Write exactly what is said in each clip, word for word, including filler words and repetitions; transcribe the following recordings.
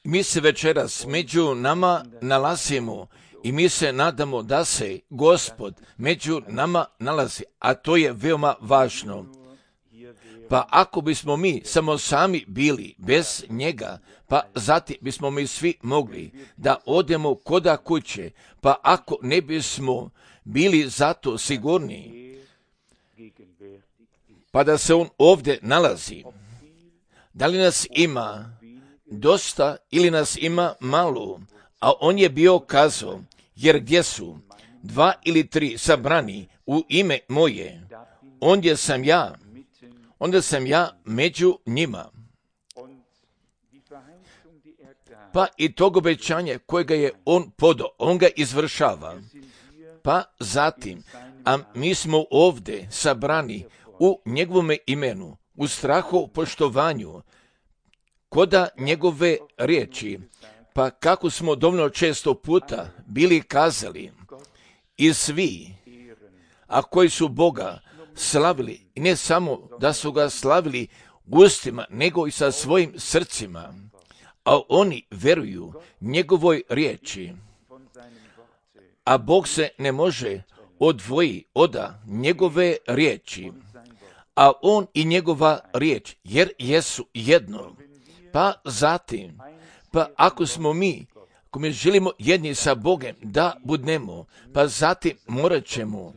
Mi se večeras među nama nalazimo i mi se nadamo da se Gospod među nama nalazi, a to je veoma važno. Pa ako bismo mi samo sami bili bez njega, pa zatim bismo mi svi mogli da odemo koda kuće, pa ako ne bismo bili zato sigurni, pa da se on ovdje nalazi, da li nas ima dosta ili nas ima malo, a on je bio kazao, jer gdje su dva ili tri sabrani u ime moje, ondje sam ja, onda sam ja među njima. Pa i tog obećanja kojega je on podao, on ga izvršava. Pa zatim, a mi smo ovdje sabrani u njegovome imenu, u strahu poštovanju, koda njegove riječi, pa kako smo dovoljno često puta bili kazali, i svi, a koji su Boga slavili, i ne samo da su ga slavili ustima, nego i sa svojim srcima, a oni veruju njegovoj riječi, a Bog se ne može odvoji od njegove riječi, a on i njegova riječ, jer jesu jedno. Pa zatim, pa ako smo mi, ako mi želimo jedni sa Bogem da budnemo, pa zatim morat ćemo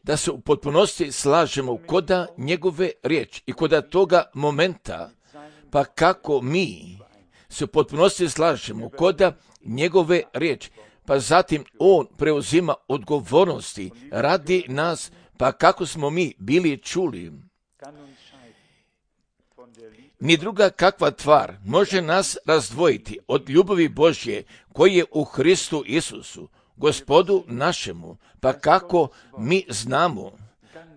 da se u potpunosti slažemo koda njegove riječi i koda toga momenta, pa kako mi se u potpunosti slažemo koda njegove riječi, pa zatim on preuzima odgovornosti radi nas, pa kako smo mi bili čuli. Ni druga kakva tvar može nas razdvojiti od ljubavi Božje koji je u Hristu Isusu, Gospodu našemu, pa kako mi znamo,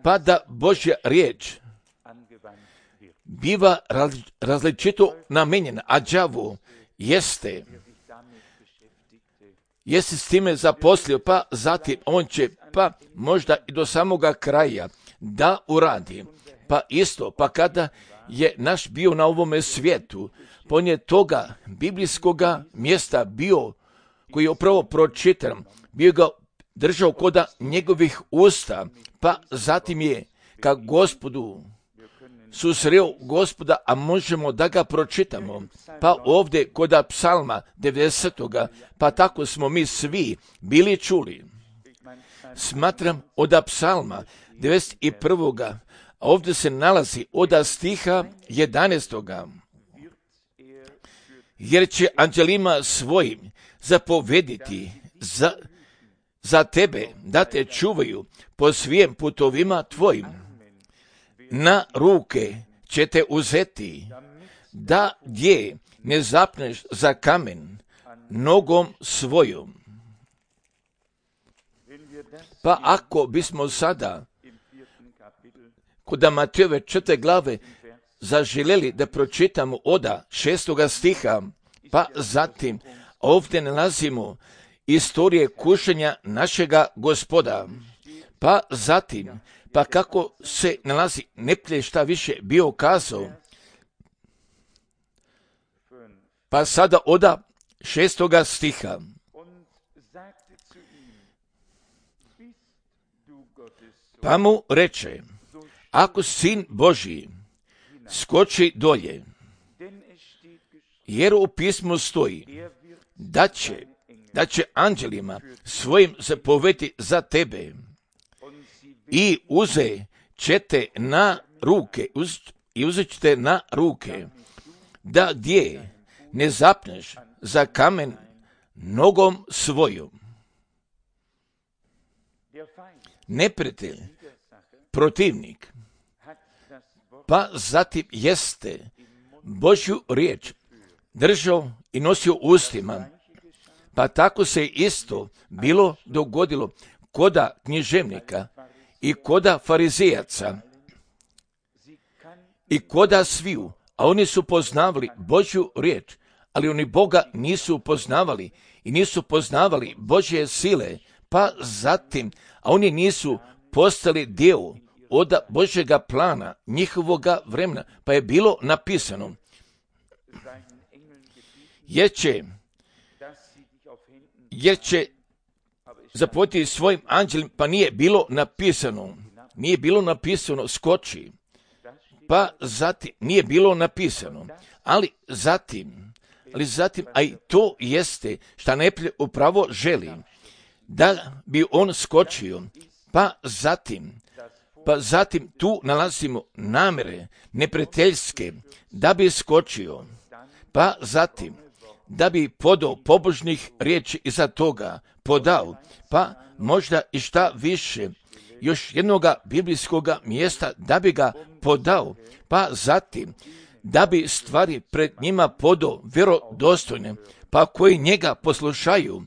pa da Božja riječ biva različito namenjena, a đavo jeste, jeste s time zaposlio, pa zatim on će, pa možda i do samoga kraja da uradi. Pa isto, pa kada je naš bio na ovome svijetu, pa on je toga biblijskoga mjesta bio, koji je upravo pročitan, bio ga držao koda njegovih usta, pa zatim je ka Gospodu susreo Gospoda, a možemo da ga pročitamo, pa ovdje koda psalma devedesetoga, pa tako smo mi svi bili čuli. Smatram od psalma devedeset prvoga, a ovdje se nalazi od stiha jedanaestoga. Jer će anđelima svojim zapovediti za, za tebe da te čuvaju po svim putovima tvojim. Na ruke će te uzeti, da gdje ne zapneš za kamen nogom svojom. Pa ako bismo sada kod Matejove četvrte glave zaželjeli da pročitamo oda šestoga stiha, pa zatim ovdje nalazimo istorije kušenja našega Gospoda, pa zatim, pa kako se nalazi neplje šta više bio kazao, pa sada oda šestoga stiha. Pa mu reče, ako sin Božji, skoči dolje, jer u pismu stoji da će, da će anđelima svojim zapovesti za tebe i uze ćete na ruke, uz, i uzet ćete na ruke, da gdje ne zapneš za kamen nogom svojom. Neprijatelj, protivnik, pa zatim jeste Božju riječ držao i nosio ustima, pa tako se isto bilo dogodilo koda književnika i koda farizejaca i koda sviju, a oni su poznavali Božju riječ, ali oni Boga nisu poznavali i nisu poznavali Božje sile, pa zatim, a oni nisu postali dio od Božjega plana, njihovoga vremena, pa je bilo napisano, jer će, jer će zapovjediti svojim anđelima, pa nije bilo napisano, nije bilo napisano skoči, pa zatim nije bilo napisano, ali zatim, ali zatim, a i to jeste šta neprijatelj upravo želi, da bi on skočio, pa zatim, pa zatim tu nalazimo namere neprijateljske, da bi skočio, pa zatim, da bi podao pobožnih riječi iza toga, podao, pa možda i šta više, još jednoga biblijskoga mjesta da bi ga podao, pa zatim da bi stvari pred njima podao vjerodostojne, pa koji njega poslušaju,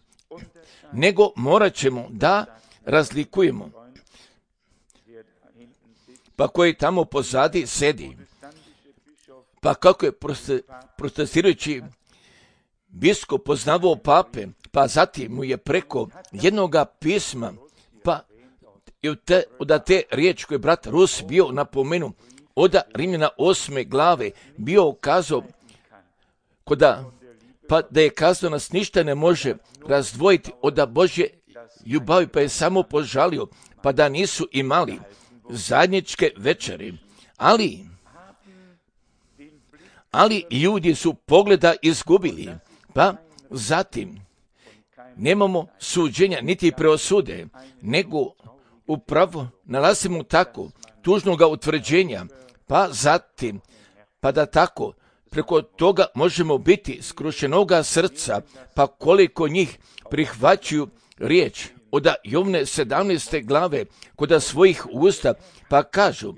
nego morat ćemo da razlikujemo, pa koji tamo pozadi sedi, pa kako je protestirajući biskup poznavao pape, pa zatim mu je preko jednoga pisma, pa i od te, od te riječi koje je brat Rus bio napomenu, od Rimljana osme glave bio ukazao, koda, pa da je kazao nas ništa ne može razdvojiti od Božje ljubavi, pa je samo požalio, pa da nisu imali zajedničke večeri, ali, ali ljudi su pogleda izgubili, pa zatim nemamo suđenja niti preosude, nego upravo nalazimo tako tužnoga utvrđenja, pa zatim, pa da tako preko toga možemo biti skrušenoga srca, pa koliko njih prihvaćaju riječ od Jovne sedamnaeste glave kod svojih usta, pa kažu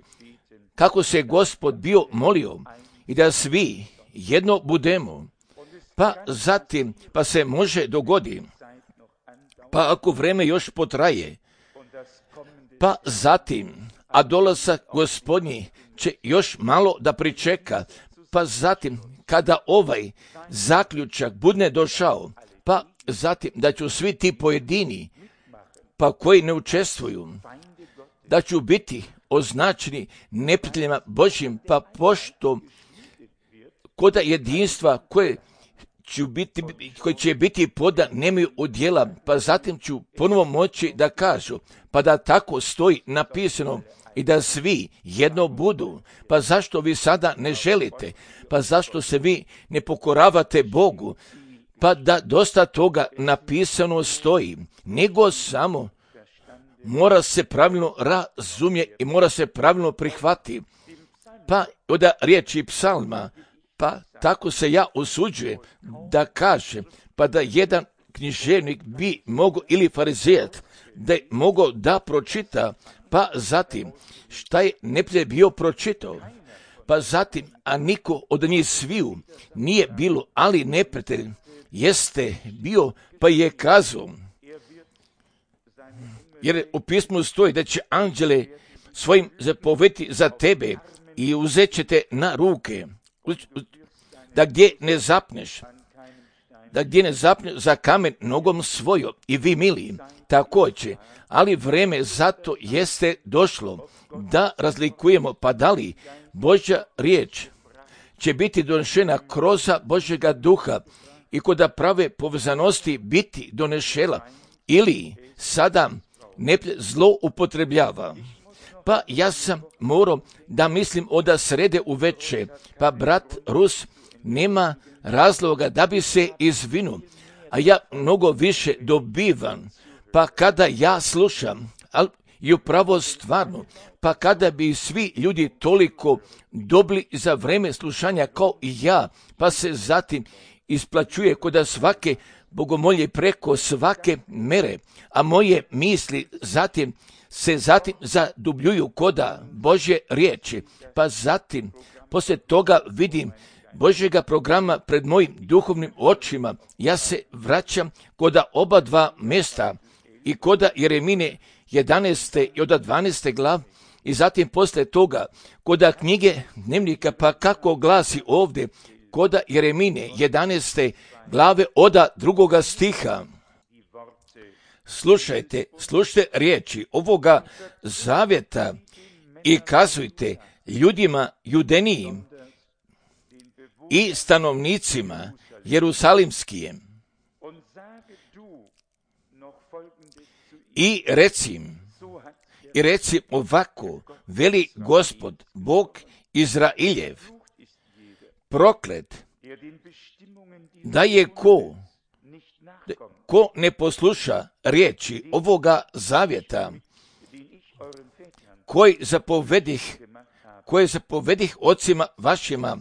kako se Gospod bio molio i da svi jedno budemo, pa zatim, pa se može dogodi, pa ako vreme još potraje, pa zatim, a dolazak Gospodnji će još malo da pričeka, pa zatim, kada ovaj zaključak bude došao, pa zatim da ću svi ti pojedini, pa koji ne učestvuju, da ću biti označeni neprijateljima Božjim, pa pošto koda jedinstva koje će biti, koji će biti poda nemaju udjela, pa zatim ću ponovo moći da kažu, pa da tako stoji napisano i da svi jedno budu. Pa zašto vi sada ne želite? Pa zašto se vi ne pokoravate Bogu? Pa da dosta toga napisano stoji, nego samo mora se pravilno razumjeti i mora se pravilno prihvatiti. Pa od riječi psalma, pa tako se ja usuđujem da kažem, pa da jedan književnik bi mogao, ili farizejac, da je mogao da pročita, pa zatim šta je neprijatelj bio pročitao, pa zatim, a niko od njih sviju nije bilo, ali neprijatelj jeste bio, pa je kazao, jer u pismu stoji da će anđele svojim zapovjediti za tebe i uzet će te na ruke, da gdje ne zapneš, da gdje ne zapneš za kamen nogom svojom, i vi mili, također, ali vreme zato jeste došlo da razlikujemo, pa da li Božja riječ će biti donešena kroz Božjega duha i kod prave povezanosti biti donešela, ili sada ne zlo upotrebljava. Pa ja sam morao da mislim od srede u veče, pa brat Rus nema razloga da bi se izvinu, a ja mnogo više dobivam, pa kada ja slušam, ali i upravo stvarno, pa kada bi svi ljudi toliko dobili za vreme slušanja kao i ja, pa se zatim isplaćuje kod svake bogomolje preko svake mere, a moje misli zatim se zatim zadubljuju koda Božje riječi, pa zatim poslije toga vidim Božjega programa pred mojim duhovnim očima, ja se vraćam koda oba dva mjesta i koda Jeremine jedanaeste i od dvanaeste glav i zatim poslije toga koda knjige dnevnika, pa kako glasi ovdje koda Jeremine jedanaeste glave od drugoga stiha. Slušajte, slušajte riječi ovoga zavjeta i kazujte ljudima judenijim i stanovnicima Jerusalimskijem i recim, i recim ovako, veli Gospod, Bog Izrailjev, proklet, da je ko, ko ne posluša riječi ovoga zavjeta, koji zapovedih, koje zapovedih ocima vašima,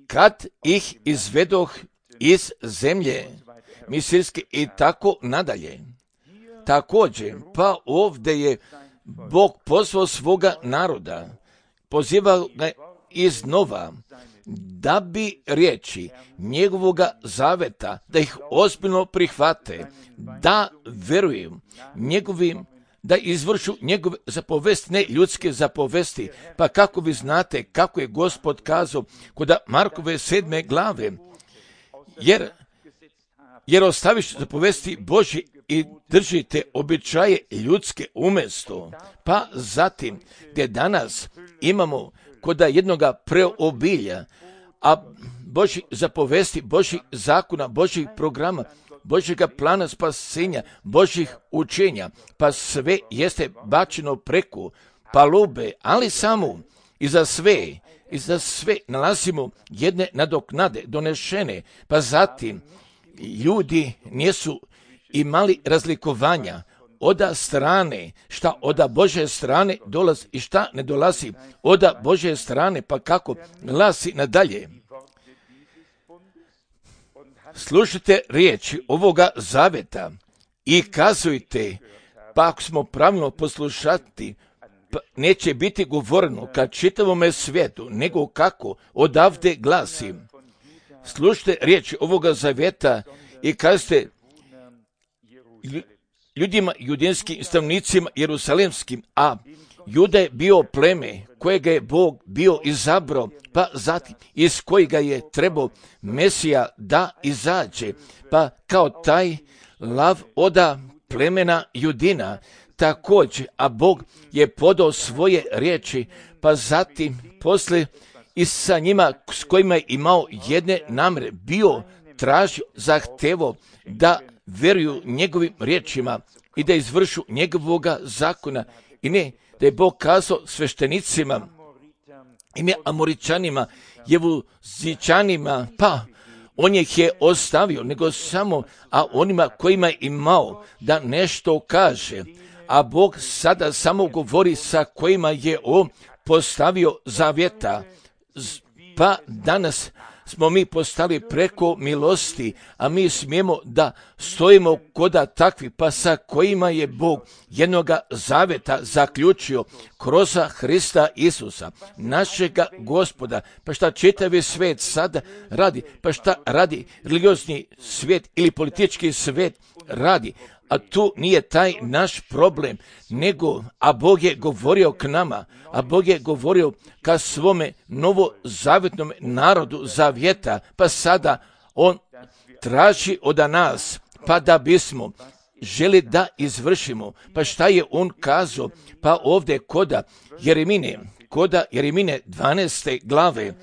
kad ih izvedoh iz zemlje misirske i tako nadalje. Također, pa ovdje je Bog pozvao svoga naroda, pozivao ga iznova, da bi riječi njegovoga zaveta, da ih ozbiljno prihvate, da vjeruju njegovim, da izvršu njegove zapovesti, ne ljudske zapovesti. Pa kako vi znate kako je Gospod kazao kod Markove sedme glave, jer, jer ostaviš zapovesti Božji i držite običaje ljudske umjesto. Pa zatim, gdje danas imamo kod jednoga preobilja, a Božji zapovesti, Božjih zakona, Božjih programa, Božjega plana spasenja, Božjih učenja, pa sve jeste bačeno preko palube, ali samo i za sve, i za sve nalazimo jedne nadoknade donešene, pa zatim ljudi nisu imali razlikovanja oda strane, šta oda Božje strane dolazi i šta ne dolazi oda Božje strane, pa kako glasi nadalje. Slušajte riječi ovoga zaveta i kazujte, pa ako smo pravilno poslušati, pa neće biti govoreno kad čitavome svijetu, nego kako odavde glasi. Slušajte riječi ovoga zaveta i kazujte ljudima, judinskim stanovnicima jerusalimskim, a Juda je bio pleme kojega je Bog bio izabrao, pa zatim iz kojega je trebao Mesija da izađe, pa kao taj lav oda plemena Judina također, a Bog je podao svoje riječi, pa zatim posle i sa njima s kojima je imao jedne namere, bio tražio, zahtevo da vjeruju njegovim riječima i da izvršu njegovoga zakona. I ne, da je Bog kazao sveštenicima, i ne Amoričanima, Jevuzičanima, pa on ih je ostavio, nego samo, a onima kojima je imao da nešto kaže. A Bog sada samo govori sa kojima je on postavio zavjeta. Pa danas smo mi postali preko milosti, a mi smijemo da stojimo koda takvi, pa sa kojima je Bog jednoga zaveta zaključio kroz Hrista Isusa, našega Gospoda. Pa šta čitavi svijet sada radi, pa šta radi religiozni svijet ili politički svijet radi, a tu nije taj naš problem, nego, a Bog je govorio k nama, a Bog je govorio ka svome novozavetnom narodu zavjeta, pa sada on traži od nas, pa da bismo želi da izvršimo. Pa šta je on kazao? Pa ovdje koda Jeremine, koda Jeremine dvanaeste glave,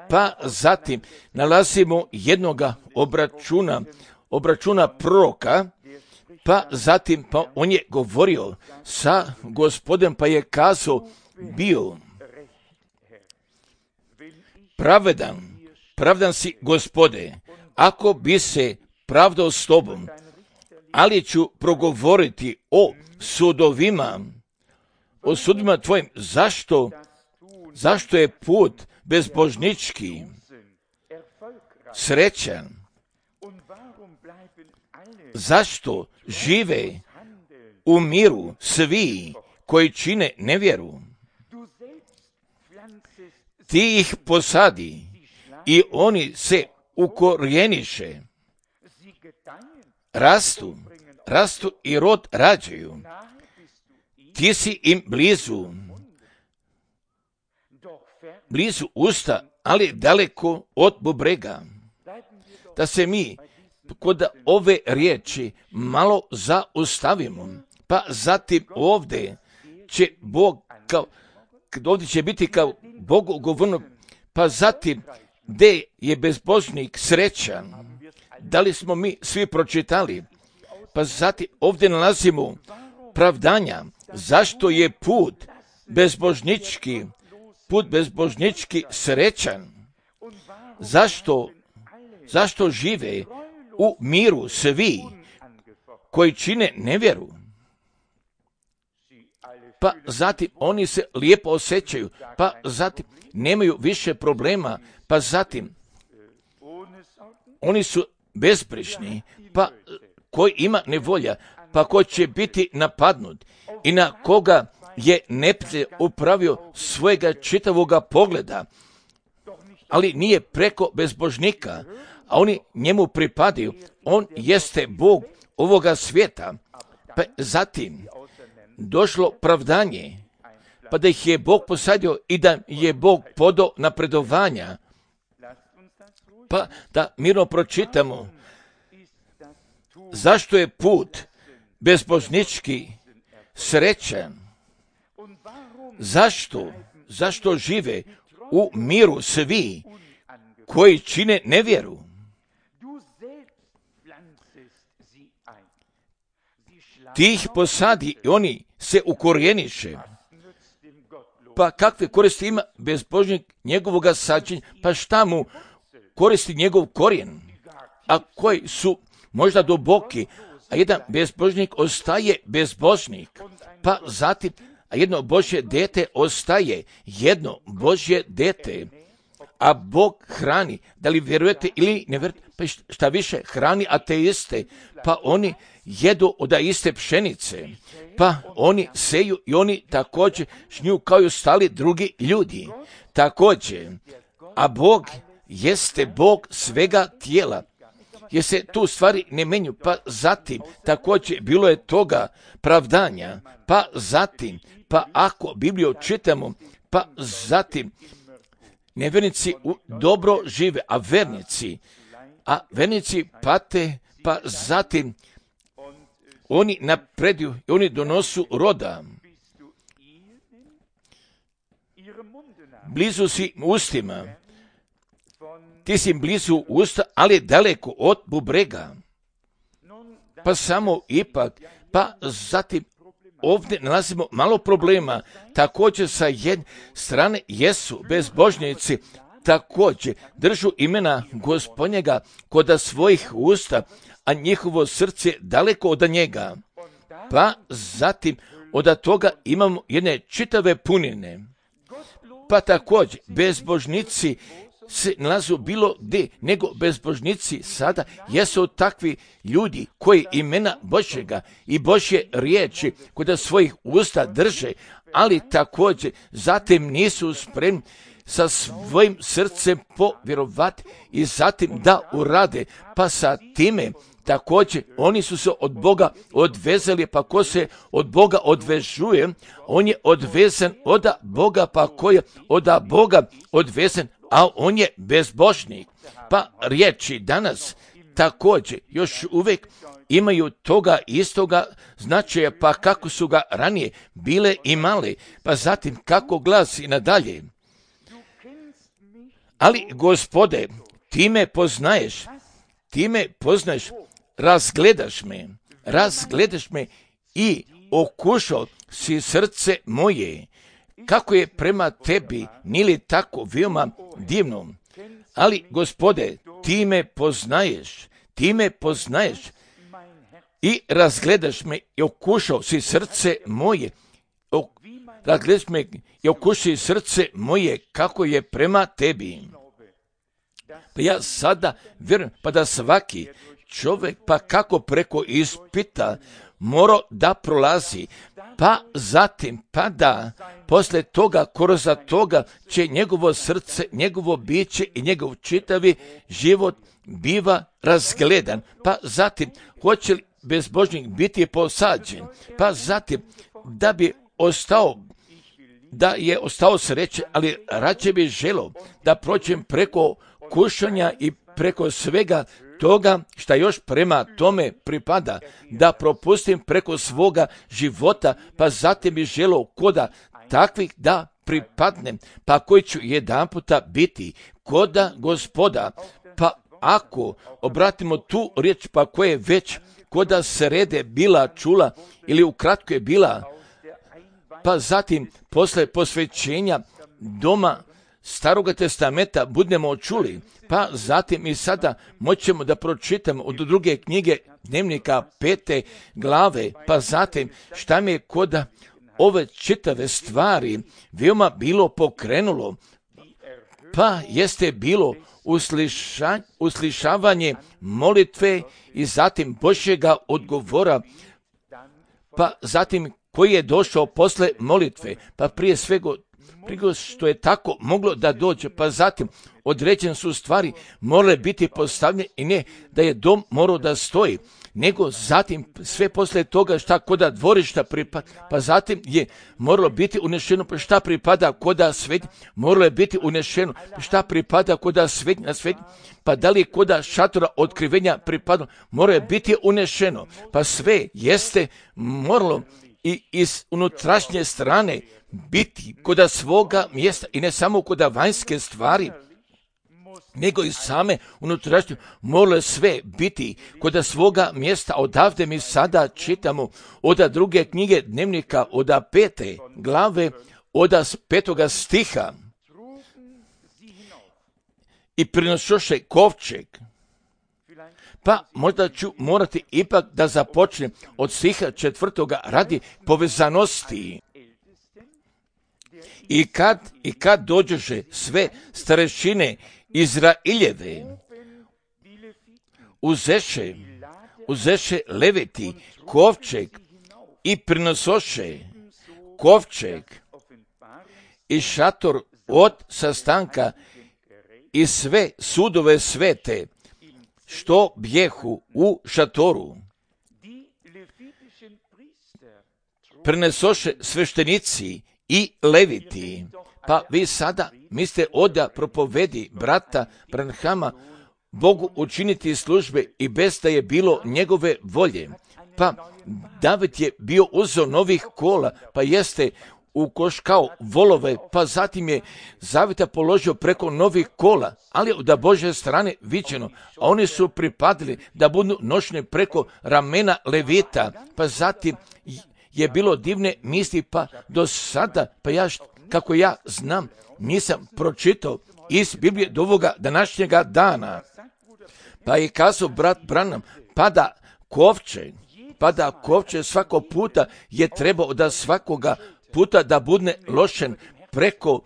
pa zatim nalazimo jednoga obračuna, obračuna proroka, pa zatim pa on je govorio sa Gospodem, pa je kazao bio pravedan, pravdan si Gospode, ako bi se pravdao s tobom, ali ću progovoriti o sudovima, o sudovima tvojim. Zašto? Zašto je put bezbožnički srećan? Zašto žive u miru svi koji čine nevjeru? Ti ih posadi i oni se ukorijeniše, rastu, rastu i rod rađaju. Ti si im blizu, blizu usta, ali daleko od bubrega. Da se mi kod ove riječi malo zaustavimo, pa zatim ovdje će Bog kao, ovdje će biti kao Bogu govorno, pa zatim gdje je bezbožnik srećan, da li smo mi svi pročitali, pa zatim ovdje nalazimo pravdanja, zašto je put bezbožnički, put bezbožnički srećan, zašto, zašto žive u miru svi koji čine nevjeru, pa zatim oni se lijepo osjećaju, pa zatim nemaju više problema, pa zatim oni su bezbrižni, pa koji ima nevolja, pa ko će biti napadnut i na koga je neprijatelj upravio svojega čitavoga pogleda, ali nije preko bezbožnika, a oni njemu pripadaju, on jeste Bog ovoga svijeta, pa zatim došlo pravdanje, pa da ih je Bog posadio i da je Bog podao napredovanja, pa da mirno pročitamo zašto je put bezbožnički srećan, zašto, zašto žive u miru svi koji čine nevjeru. Ti ih posadi i oni se ukorijeniše. Pa kakve koristi ima bezbožnik njegovoga sađenja? Pa šta mu koristi njegov korijen? A koji su možda duboki, a jedan bezbožnik ostaje bezbožnik. Pa zatim, a jedno Božje dete ostaje jedno Božje dete. A Bog hrani, da li vjerujete ili ne vjerujete, pa šta više hrani ateiste, pa oni jedu od iste pšenice, pa oni seju i oni također žnju kao i ostali drugi ljudi. Također, a Bog jeste Bog svega tijela, jer se tu stvari ne menju, pa zatim također bilo je toga pravdanja, pa zatim, pa ako Bibliju čitamo, pa zatim nevjernici dobro žive, a vernici, a vernici pate, pa zatim oni napreduju i oni donosu roda. Blizu si ustima, ti si blizu usta, ali daleko od bubrega. Pa samo ipak, pa zatim ovdje nalazimo malo problema. Također sa jedne strane jesu bezbožnici, također držu imena Gospodnjega kod svojih usta, a njihovo srce daleko od njega. Pa zatim od toga imamo jedne čitave punine. Pa također bezbožnici se nalazu bilo gdje, nego bezbožnici sada jesu takvi ljudi koji imena Božjega i Božje riječi kod svojih usta drže, ali također zatim nisu spremni sa svojim srcem povjerovati i zatim da urade, pa sa time također oni su se od Boga odvezali, pa ko se od Boga odvežuje, on je odvezan od Boga, pa ko je od Boga odvezan, a on je bezbožnik. Pa riječi danas također još uvijek imaju toga istoga značaja, pa kako su ga ranije bile i male, pa zatim kako glasi nadalje. Ali, Gospode, ti me poznaješ, ti me poznaješ, razgledaš me, razgledaš me i okušao si srce moje, kako je prema tebi, nije li tako veoma divno. Ali, Gospode, ti me poznaješ, ti me poznaješ i razgledaš me i okušao si srce moje, razgledaš me i okušao si srce moje, kako je prema tebi. Pa ja sada vjerujem, pa da svaki čovjek, pa kako preko ispita mora da prolazi, pa zatim, pa da posle toga, kroz toga će njegovo srce, njegovo biće i njegov čitavi život biva razgledan, pa zatim hoće li bezbožnik biti posađen, pa zatim da bi ostao, da je ostao sreće, ali rađe bi želio da prođem preko kušanja i preko svega toga šta još prema tome pripada, da propustim preko svoga života, pa zatim bi želio koda takvih da pripadnem, pa koji ću jedan puta biti koda Gospoda. Pa ako obratimo tu riječ, pa koje već koda srede bila čula ili ukratko je bila, pa zatim posle posvećenja doma Staroga testamenta budemo čuli, pa zatim i sada moćemo da pročitamo od druge knjige Dnevnika pete glave, pa zatim šta mi je koda ove čitave stvari veoma bilo pokrenulo, pa jeste bilo usliša, uslišavanje molitve i zatim Božjega odgovora, pa zatim koji je došao posle molitve, pa prije svega prije što je tako moglo da dođe, pa zatim određene su stvari morale biti postavljene i ne da je dom morao da stoji, nego zatim sve posle toga šta koda dvorišta pripada, pa zatim je moralo biti unešeno, pa šta pripada koda svet, moralo je biti unešeno, šta pripada koda svet na svet, pa da li koda šatora otkrivenja pripadalo, moralo je biti unešeno, pa sve jeste moralo i iz unutrašnje strane biti koda svoga mjesta i ne samo koda vanjske stvari, nego i same unutrašnje moralo sve biti koda svoga mjesta. Odavde mi sada čitamo od druge knjige Dnevnika od pete glave od petoga stiha. I prinošoše kovčeg. Pa možda ću morati ipak da započnem od stiha četvrtoga radi povezanosti. I kad, i kad dođeše sve starešine Izraeljeve, uzeše, uzeše leviti kovčeg i prinosoše kovčeg i šator od sastanka i sve sudove svete, što bjehu u šatoru. Prenesoše sveštenici i leviti. Pa vi sada mislite oda propovedi brata Branhama Bogu učiniti službe i bez da je bilo njegove volje. Pa David je bio uzeo novih kola, pa jeste ukoškao volove, pa zatim je zavita položio preko novih kola, ali da Božje strane viđeno, a oni su pripadili da budu nošeni preko ramena levita, pa zatim je bilo divne misli, pa do sada, pa ja, kako ja znam, nisam pročitao iz Biblije do ovoga današnjega dana. Pa je kazao brat Branham, pa da kovče, pa da kovče svako puta je trebao da svakoga puta da bude lošen preko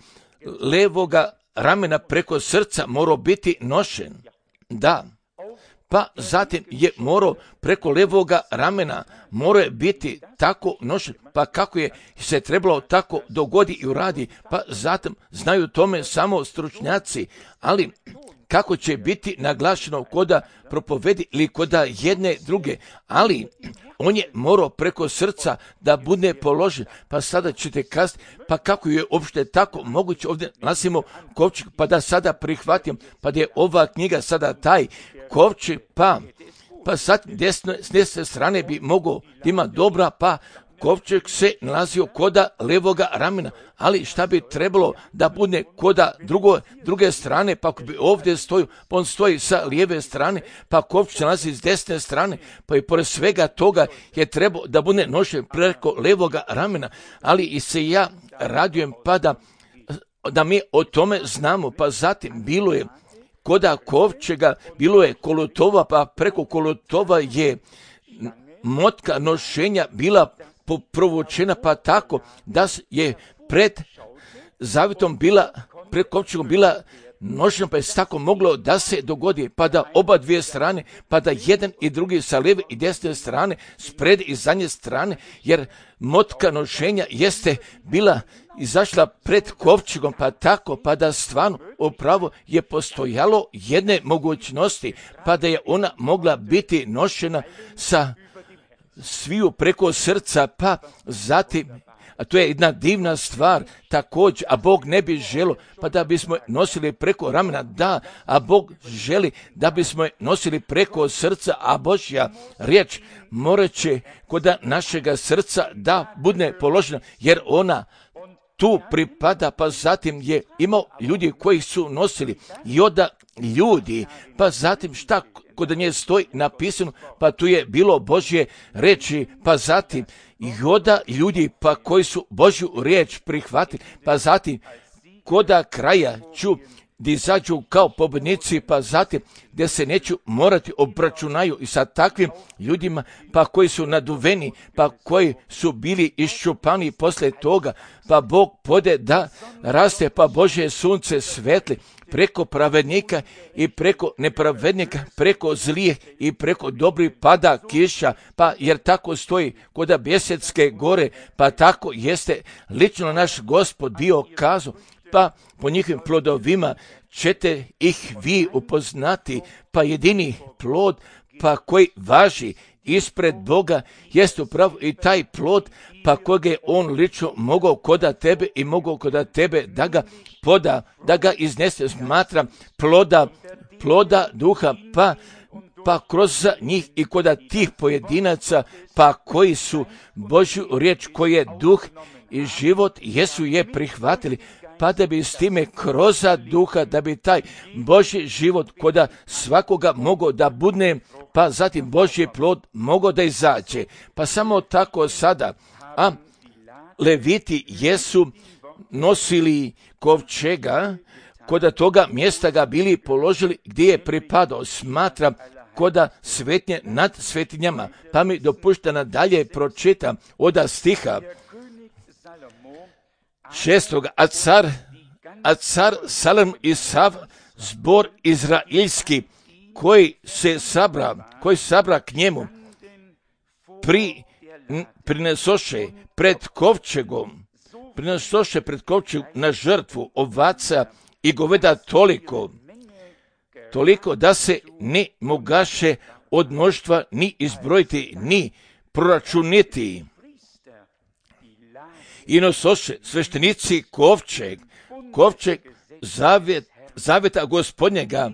levoga ramena, preko srca morao biti nošen. Da, pa zatim je morao preko levoga ramena, morao je biti tako nošen, pa kako je se trebalo tako dogodi i uradi, pa zatim znaju tome samo stručnjaci, ali kako će biti naglašeno koda propovedi ili koda jedne druge, ali on je morao preko srca da bude položen, pa sada ćete kazati, pa kako je uopšte tako moguće ovdje nasimo kovčeg, pa da sada prihvatim, pa da je ova knjiga sada taj kovčeg, pa, pa sad desne, s desne strane bi mogao da ima dobra, pa kovčeg se nalazio koda levoga ramena, ali šta bi trebalo da bude koda drugo, druge strane, pa ako bi ovdje stoju, pa on stoji sa lijeve strane, pa kovčeg se nalazi s desne strane, pa i pored svega toga je trebao da bude nošen preko levoga ramena, ali i se ja radujem pa da, da mi o tome znamo, pa zatim bilo je koda kovčega, bilo je kolotova, pa preko kolotova je motka nošenja bila provučena, pa tako da je pred zavitom bila, pred kovčegom bila nošena, pa je tako moglo da se dogodi, pa da oba dvije strane, pa da jedan i drugi sa lijeve i desne strane, spred i zadnje strane, jer motka nošenja jeste bila izašla pred kovčegom, pa tako, pa da stvarno upravo je postojalo jedne mogućnosti, pa da je ona mogla biti nošena sa sviju preko srca, pa zatim, a to je jedna divna stvar također, a Bog ne bi želio pa da bismo nosili preko ramena, da, a Bog želi da bismo nosili preko srca, a Božja riječ morat će kod našega srca da bude položena, jer ona tu pripada, pa zatim je imao ljudi koji su nosili i onda ljudi, pa zatim šta kod nje stoji napisano, pa tu je bilo Božje reči, pa zatim i onda ljudi pa koji su Božju riječ prihvatili, pa zatim koda kraja ću gdje izađu kao pobjednici, pa zatim gdje se neću morati obračunaju i sa takvim ljudima, pa koji su naduveni, pa koji su bili iščupani poslije toga, pa Bog pode da raste, pa Božje sunce svetli preko pravednika i preko nepravednika, preko zlijeh i preko dobrih pada kiša, pa jer tako stoji kod Bjesetske gore, pa tako jeste lično naš Gospod bio kazao, pa po njihovim plodovima ćete ih vi upoznati, pa jedini plod pa koji važi ispred Boga jest upravo i taj plod pa kojeg je on lično mogao koda tebe i mogao koda tebe da ga poda, da ga iznese, smatra ploda, ploda duha, pa pa kroz njih i kod tih pojedinaca, pa koji su Božju riječ, koji je duh i život, jesu je prihvatili, pa da bi s time kroz duha, da bi taj Božji život kod svakoga mogao da budne, pa zatim Božji plod mogao da izađe. Pa samo tako sada, a Leviti jesu nosili kovčega, kod toga mjesta ga bili položili gdje je pripadao, smatra koda svetnje nad svetinjama, pa mi dopušta nadalje pročitam od stiha šestoga, a car, a car Salom i sav zbor izraelski koji se sabra, koji sabra k njemu, pri, prinesoše pred kovčegom, prinesoše pred kovčegom na žrtvu ovaca i goveda toliko, toliko da se ne mogaše od mnoštva ni izbrojiti, ni proračuniti. I nosoše sveštenici kovčeg, kovčeg zavjet, zavjeta Gospodnjega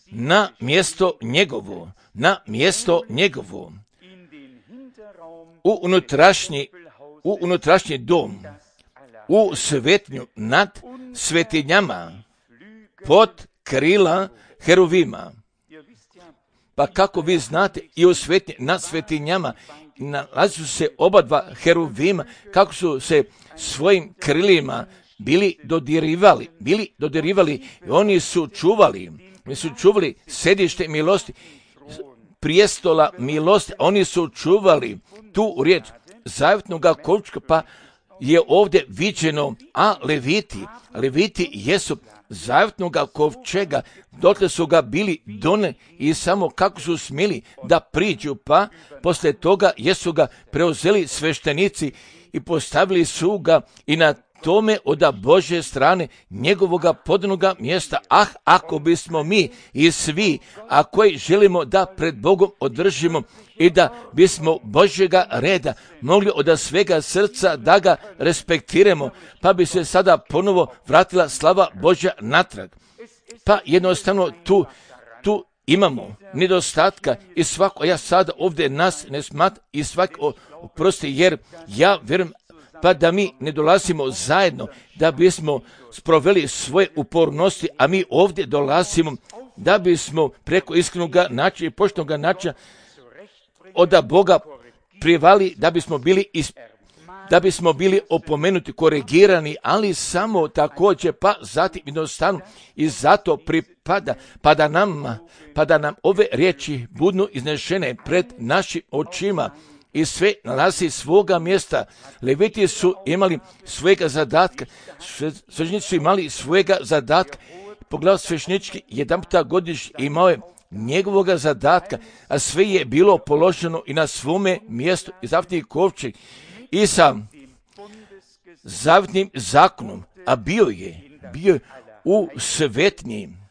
na mjesto njegovo, na mjesto njegovo, u unutrašnji, u unutrašnji dom, u svetnju nad svetinjama, pod krila heruvima. Pa kako vi znate, i u svetnji nad svetinjama nalazi se oba dva heruvima, kako su se svojim krilima bili dodirivali, bili dodirivali i oni su čuvali, oni su čuvali sedište milosti, prijestola milosti, oni su čuvali tu riječ zavjetnoga kovčega, pa je ovdje viđeno, a Leviti, Leviti jesu zavjetnoga kovčega, dotle su ga bili done i samo kako su smjeli da priđu, pa poslije toga jesu ga preuzeli sveštenici i postavili su ga i na tome od Božje strane njegovoga podnoga mjesta. Ah, ako bismo mi i svi, a koji želimo da pred Bogom održimo i da bismo Božjega reda mogli od svega srca da ga respektiramo, pa bi se sada ponovo vratila slava Božja natrag. Pa jednostavno tu, tu imamo nedostatka i svako, ja sada ovdje nas ne smatram i svako oprosti, jer ja vjerujem pa da mi ne dolazimo zajedno, da bismo sproveli svoje upornosti, a mi ovdje dolazimo da bismo preko iskrenog načina i poštenog načina od Boga privali, da bismo bili is, da bismo bili opomenuti, korigirani, ali samo također, pa zatim jednostavno i zato pripada, pa da nam, pa da nam ove riječi budu iznešene pred našim očima, i sve nalazi svoga mjesta. Leviti su imali svojega zadatka, sveštenici su imali svojega zadatka. Poglavlje sveštenički jedan puta godišnje imao je njegovoga zadatka, a sve je bilo položeno i na svome mjestu i zavjetni kovčeg i sa zavjetnim zakonom, a bio je, bio je u svetnji.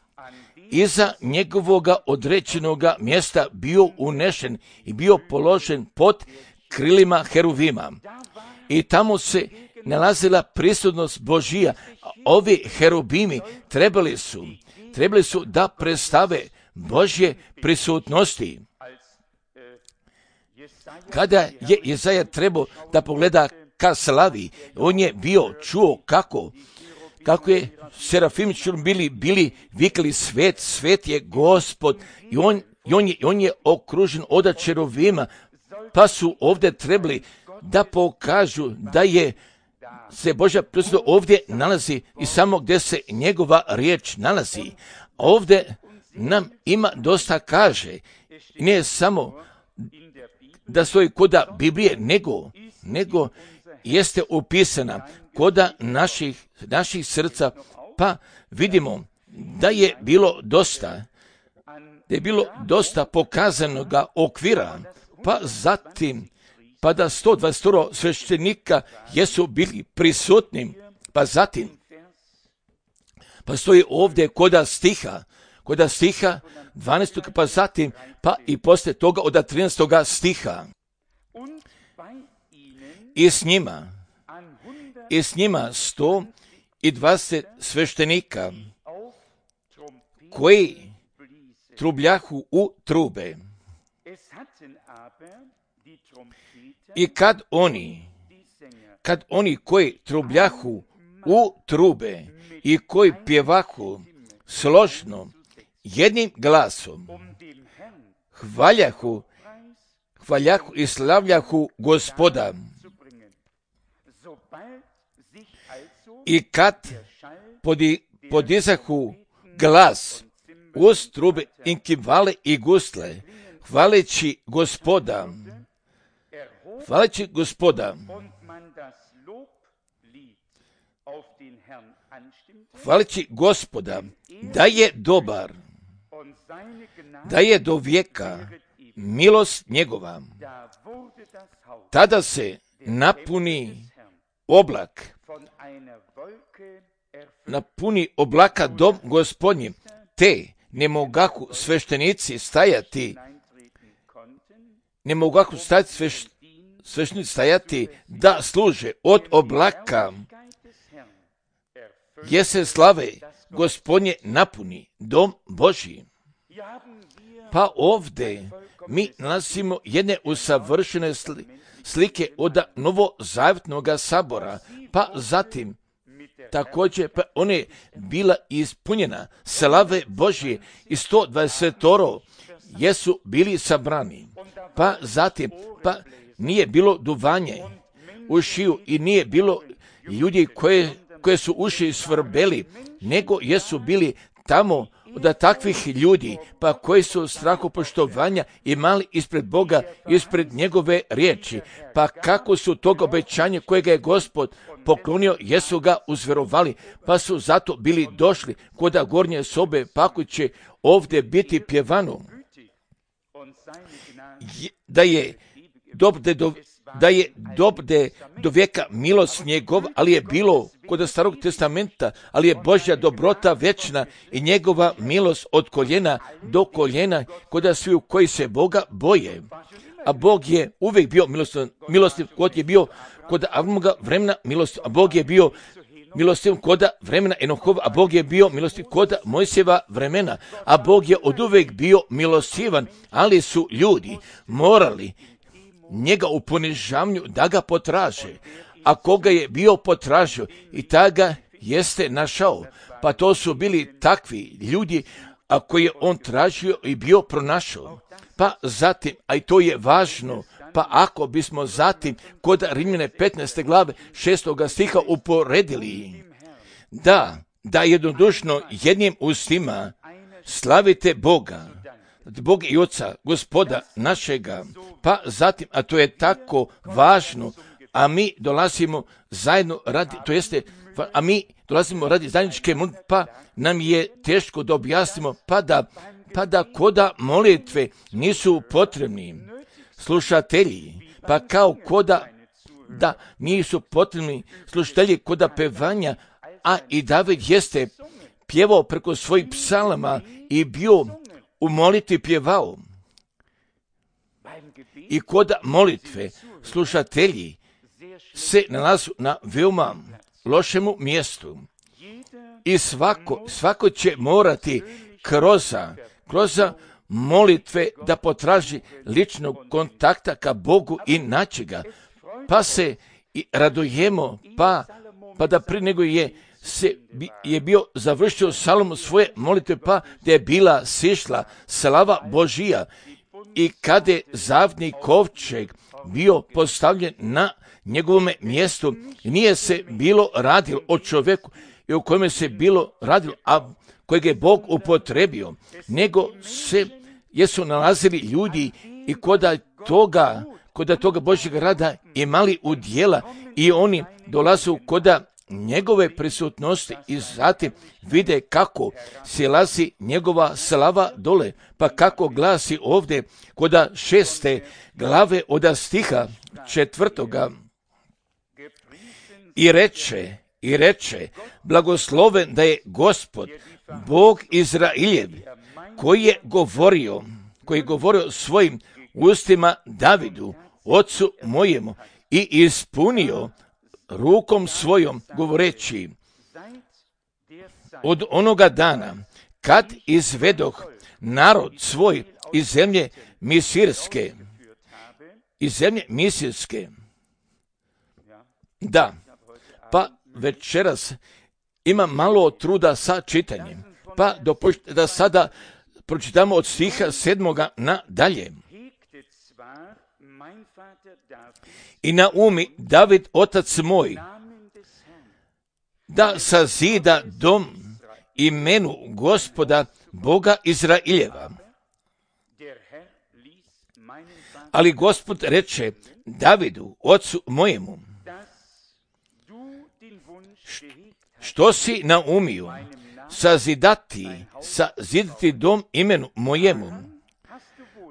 Iza njegovoga određenoga mjesta bio unešen i bio položen pod krilima heruvima. i tamo se nalazila prisutnost Božija. Ovi herubimi trebali su, trebali su da predstave Božje prisutnosti. Kada je Jesaja trebao da pogleda ka slavi, on je bio čuo kako, kako je serafimi bili, bili vikali svet, svet je Gospod i on, i on, je, on je okružen od čeruvima, pa su ovdje trebali da pokažu da je se Božja prisutnost ovdje nalazi i samo gdje se njegova riječ nalazi. Ovdje nam ima dosta kaže, nije samo da stoji koda Biblije, nego, nego jeste upisana koda naših, naših srca, pa vidimo da je bilo dosta, da je bilo dosta pokazanoga okvira, pa zatim, pa da sto dvadeset sveštenika jesu bili prisutni, pa zatim, pa stoji ovdje koda stiha, koda stiha dvanaestog, pa zatim, pa i poslije toga od trinaestog stiha. I s njima, i s njima sto i dvadeset sveštenika, koji trubljahu u trube. I kad oni, kad oni koji trubljahu u trube i koji pjevahu složno jednim glasom, hvaljahu, hvaljahu i slavljahu Gospoda. I kad podi, podizahu glas uz trube i kivale i gusle, hvaleći Gospoda, hvaleći Gospoda, hvaleći Gospoda, da je dobar, da je do vijeka milost njegova. Tada se napuni oblak, napuni oblaka dom Gospodnji, te ne mogahu sveštenici stajati, ne mogahu stajati sveš, sveštenici stajati da služe od oblaka, jer se slave Gospodnje napuni dom Božji. Pa ovdje mi nalazimo jedne usavršene slike od novozavjetnog sabora, pa zatim također pa ona je bila ispunjena slave Božje i sto dvadeset jesu bili sabrani. Pa zatim, pa nije bilo duvanje u šiju i nije bilo ljudi koje, koje su uši svrbeli, nego jesu bili tamo od takvih ljudi, pa koji su strahopoštovanja imali ispred Boga, ispred njegove riječi, pa kako su tog obećanja kojega je Gospod poklonio, jesu ga uzverovali, pa su zato bili došli koda gornje sobe, pa ako će ovdje biti pjevano, da je dobde do, da je dobde do vijeka milost njegov, ali je bilo kod Starog testamenta, ali je Božja dobrota večna i njegova milost od koljena do koljena kod svi koji se Boga boje. A Bog je uvijek bio milostiv, milostiv kod je bio kod Avramoga vremena milostiv, a Bog je bio milostiv kod vremena Enohova, a Bog je bio milostiv kod Mojsijeva vremena, a Bog je oduvijek bio milostivan, ali su ljudi morali njega u ponižavanju da ga potraže, a koga je bio potražio i ta ga jeste našao, pa to su bili takvi ljudi, a koje je on tražio i bio pronašao. Pa zatim, a i to je važno, pa ako bismo zatim kod Rimljane petnaeste glave šestoga stiha uporedili, da, da jednodušno jednim ustima slavite Boga, Boga i Oca, Gospoda našega, pa zatim, a to je tako važno, a mi dolazimo zajedno radi, to jeste, a mi dolazimo radi zajedničke molitve, pa nam je teško da objasnimo, pa da, pa da koda molitve nisu potrebni slušatelji, pa kao koda da nisu potrebni slušatelji koda pevanja, a i David jeste pjevao preko svojih psalama i bio u molitvi pjevao. I kod molitve slušatelji se nalazu na veoma lošemu mjestu. I svako, svako će morati kroz, kroz molitve da potraži ličnog kontakta ka Bogu i naći ga. Pa se i radujemo, pa, pa da prije nego je se je bio završio Salomon svoje molitve, pa da je bila sišla slava Božija. I kada je zavni kovčeg bio postavljen na njegovome mjestu, nije se bilo radilo o čovjeku i o kojem se bilo radilo, a kojeg je Bog upotrebio, nego se jesu nalazili ljudi i koda toga, koda toga Božjeg rada imali udjela i oni dolazu koda njegove prisutnosti i zatim vide kako silazi njegova slava dole, pa kako glasi ovdje koda šeste glave od stiha četvrtoga. I reče, i reče, blagosloven da je Gospod, Bog Izraeljev, koji je govorio, koji je govorio svojim ustima Davidu, ocu mojemu, i ispunio rukom svojom govoreći, od onoga dana kad izvedoh narod svoj iz zemlje Misirske, iz zemlje Misirske. Da, pa večeras ima malo truda sa čitanjem, pa dopustite da sada pročitamo od stiha sedmoga na dalje. I naumi David, otac moj, da sazida dom imenu Gospoda, Boga Izraeljeva. Ali Gospod reče Davidu, ocu mojemu, što si naumio sazidati, sazidati dom imenu mojemu?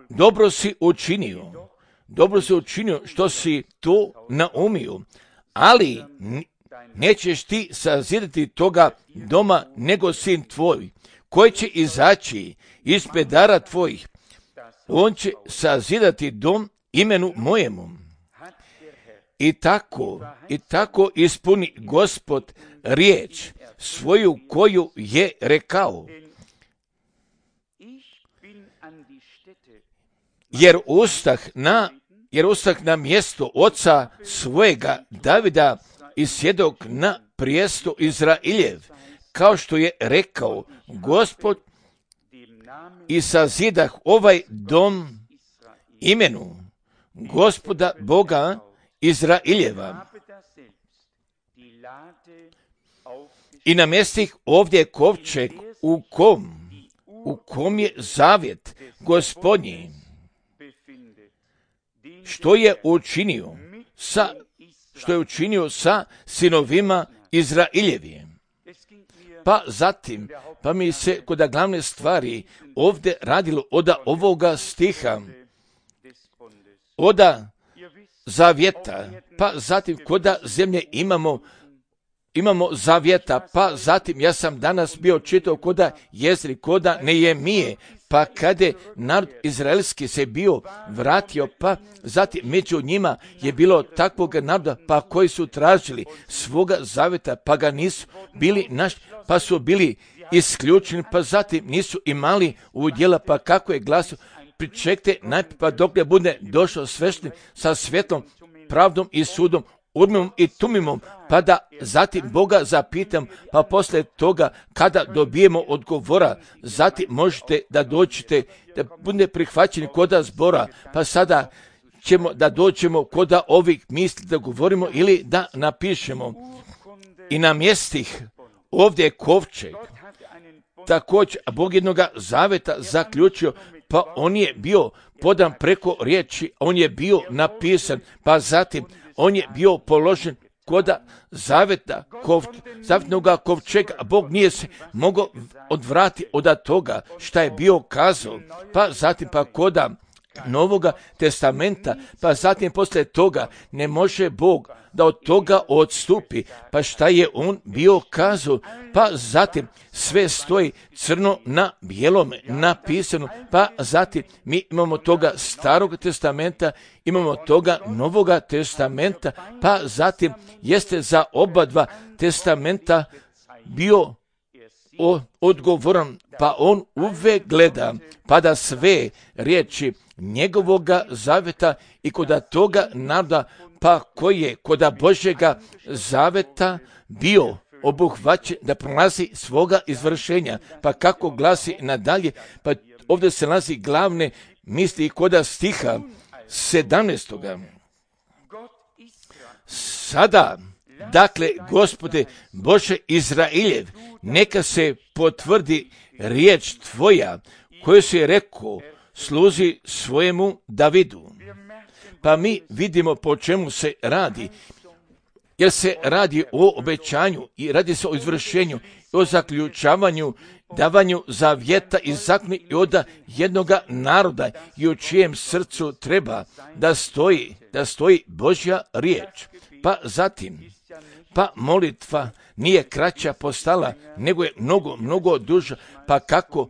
Dobro si učinio, dobro si učinio što si to naumio, ali nećeš ti sazidati toga doma nego sin tvoj, koji će izaći iz pedara tvojih. On će sazidati dom imenu mojemu. I tako, i tako ispuni Gospod riječ svoju koju je rekao. Jer ustah na, jer ustah na mjesto oca svojega Davida i sjedok na prijesto Izraeljev, kao što je rekao Gospod, i sazidah ovaj dom imenu Gospoda Boga Izraeljeva. I namjestih ovdje kovčeg u kom, u kom je zavjet Gospodnji, što je učinio sa, što je učinio sa sinovima Izraeljevim. Pa zatim, pa mi se kod glavne stvari ovdje radilo od ovoga stiha, od zavjeta, pa zatim kod zemlje imamo imamo zavjeta, pa zatim ja sam danas bio čitao koda Jezri, koda Nejemije, pa kada je narod izraelski se bio vratio, pa zatim među njima je bilo takvog naroda, pa koji su tražili svoga zavjeta, pa ga nisu bili naš, pa su bili isključeni, pa zatim nisu imali udjela, pa kako je glasio, pričekajte najprije pa dok ne bude došao sveštenik sa svjetlom, pravdom i sudom, Urimom i Tumimom, pa da zatim Boga zapitam, pa poslije toga kada dobijemo odgovora, zatim možete da dođete, da bude prihvaćeni koda zbora, pa sada ćemo da dođemo koda ovih misli da govorimo ili da napišemo. I na mjestih ovdje je kovčeg, također Bog jednoga zaveta zaključio, pa on je bio podan preko riječi, on je bio napisan, pa zatim on je bio položen koda zaveta, kov, zavetnoga kovčega, a Bog nije se mogao odvrati od toga šta je bio kazao, pa zatim pa koda Novoga testamenta, pa zatim poslije toga ne može Bog da od toga odstupi. Pa šta je on bio kazao? Pa zatim sve stoji crno na bijelome napisano. Pa zatim mi imamo toga starog testamenta, imamo toga novoga testamenta, pa zatim jeste za oba dva testamenta bio odgovoran, pa on uvek gleda, pa da sve riječi njegovoga zaveta i koda toga naroda, pa koji je koda Božjega zaveta bio obuhvaćen da prolazi svoga izvršenja. Pa kako glasi nadalje, pa ovdje se nalazi glavne misli koda stiha sedamnaestoga. Sada, dakle, Gospode Bože Izraeljev, neka se potvrdi riječ Tvoja koju si rekao sluzi svojemu Davidu. Pa mi vidimo po čemu se radi, jer se radi o obećanju i radi se o izvršenju, o zaključavanju, davanju zavjeta i zakona i od jednoga naroda i u čijem srcu treba da stoji, da stoji Božja riječ. Pa zatim, pa molitva nije kraća postala, nego je mnogo, mnogo duža, pa kako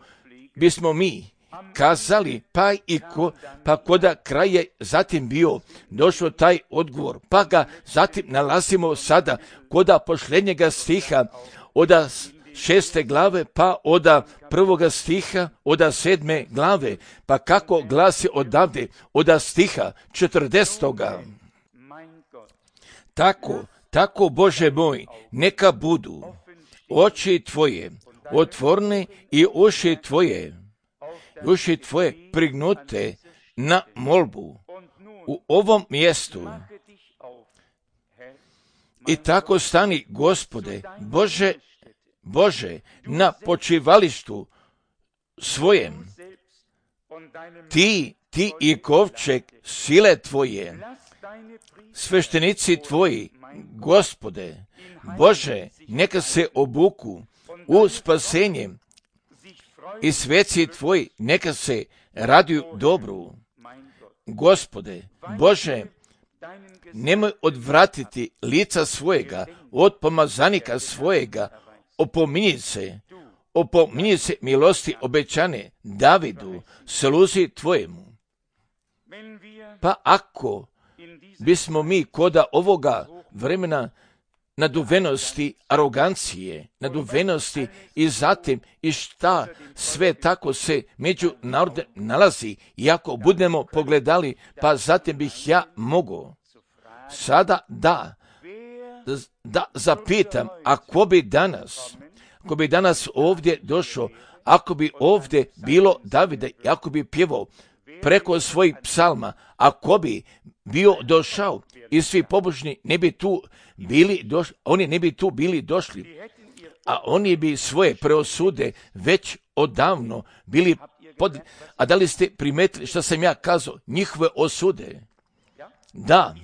bismo mi kazali, pa i ko, pa koda kraj je zatim bio došao taj odgovor, pa ga zatim nalazimo sada koda posljednjega stiha od šeste glave, pa od prvoga stiha od sedme glave, pa kako glasi odavde od stiha četrdesetoga. Tako, tako Bože moj, neka budu oči Tvoje otvorene i uši Tvoje, uši Tvoje prignute na molbu u ovom mjestu. I tako stani, Gospode, Bože, Bože, na počivalištu svojem, ti, ti i kovčeg sile Tvoje, sveštenici Tvoji, Gospode, Bože, neka se obuku u spasenje i sveci Tvoji neka se raduju dobru. Gospode, Bože, nemoj odvratiti lica svojega od pomazanika svojega, opominji se, opominji se milosti obećane Davidu, sluzi Tvojemu. Pa ako bismo mi koda ovoga vremena naduvenosti, arogancije, naduvenosti i zatim i šta sve tako se među narodem nalazi, i ako budemo pogledali, pa zatim bih ja mogao sada da, da zapitam, ako bi danas, ako bi danas ovdje došao, ako bi ovdje bilo Davida i ako bi pjevao preko svojih psalma, ako bi bio došao i svi pobožni ne bi tu bili došli, oni ne bi tu bili došli, a oni bi svoje preosude već odavno bili pod... A da li ste primetili što sam ja kazao? Njihove osude. Da,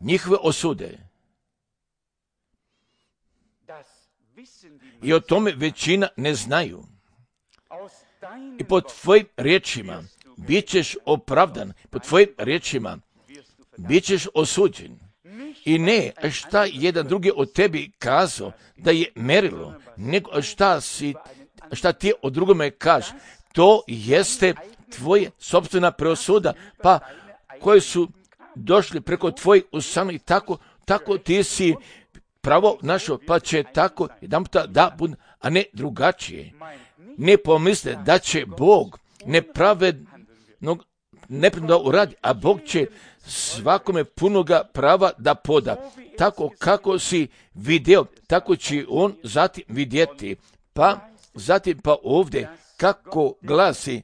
njihove osude. I o tome većina ne znaju. I po tvojim riječima bit ćeš opravdan, po tvojim riječima bit ćeš osuđen. I ne šta jedan drugi od tebi kazao da je merilo, nego šta, si, šta ti od drugome kaže. To jeste tvoje sopstvena preosuda, pa koji su došli preko tvojih usana i tako, tako ti si pravo našo, pa će tako jedan puta da bude, a ne drugačije. Ne pomisle da će Bog nepravednog nepravedno uradi, a Bog će svakome punoga prava da poda. Tako kako si vidio, tako će on zatim vidjeti. Pa zatim pa ovdje kako glasi,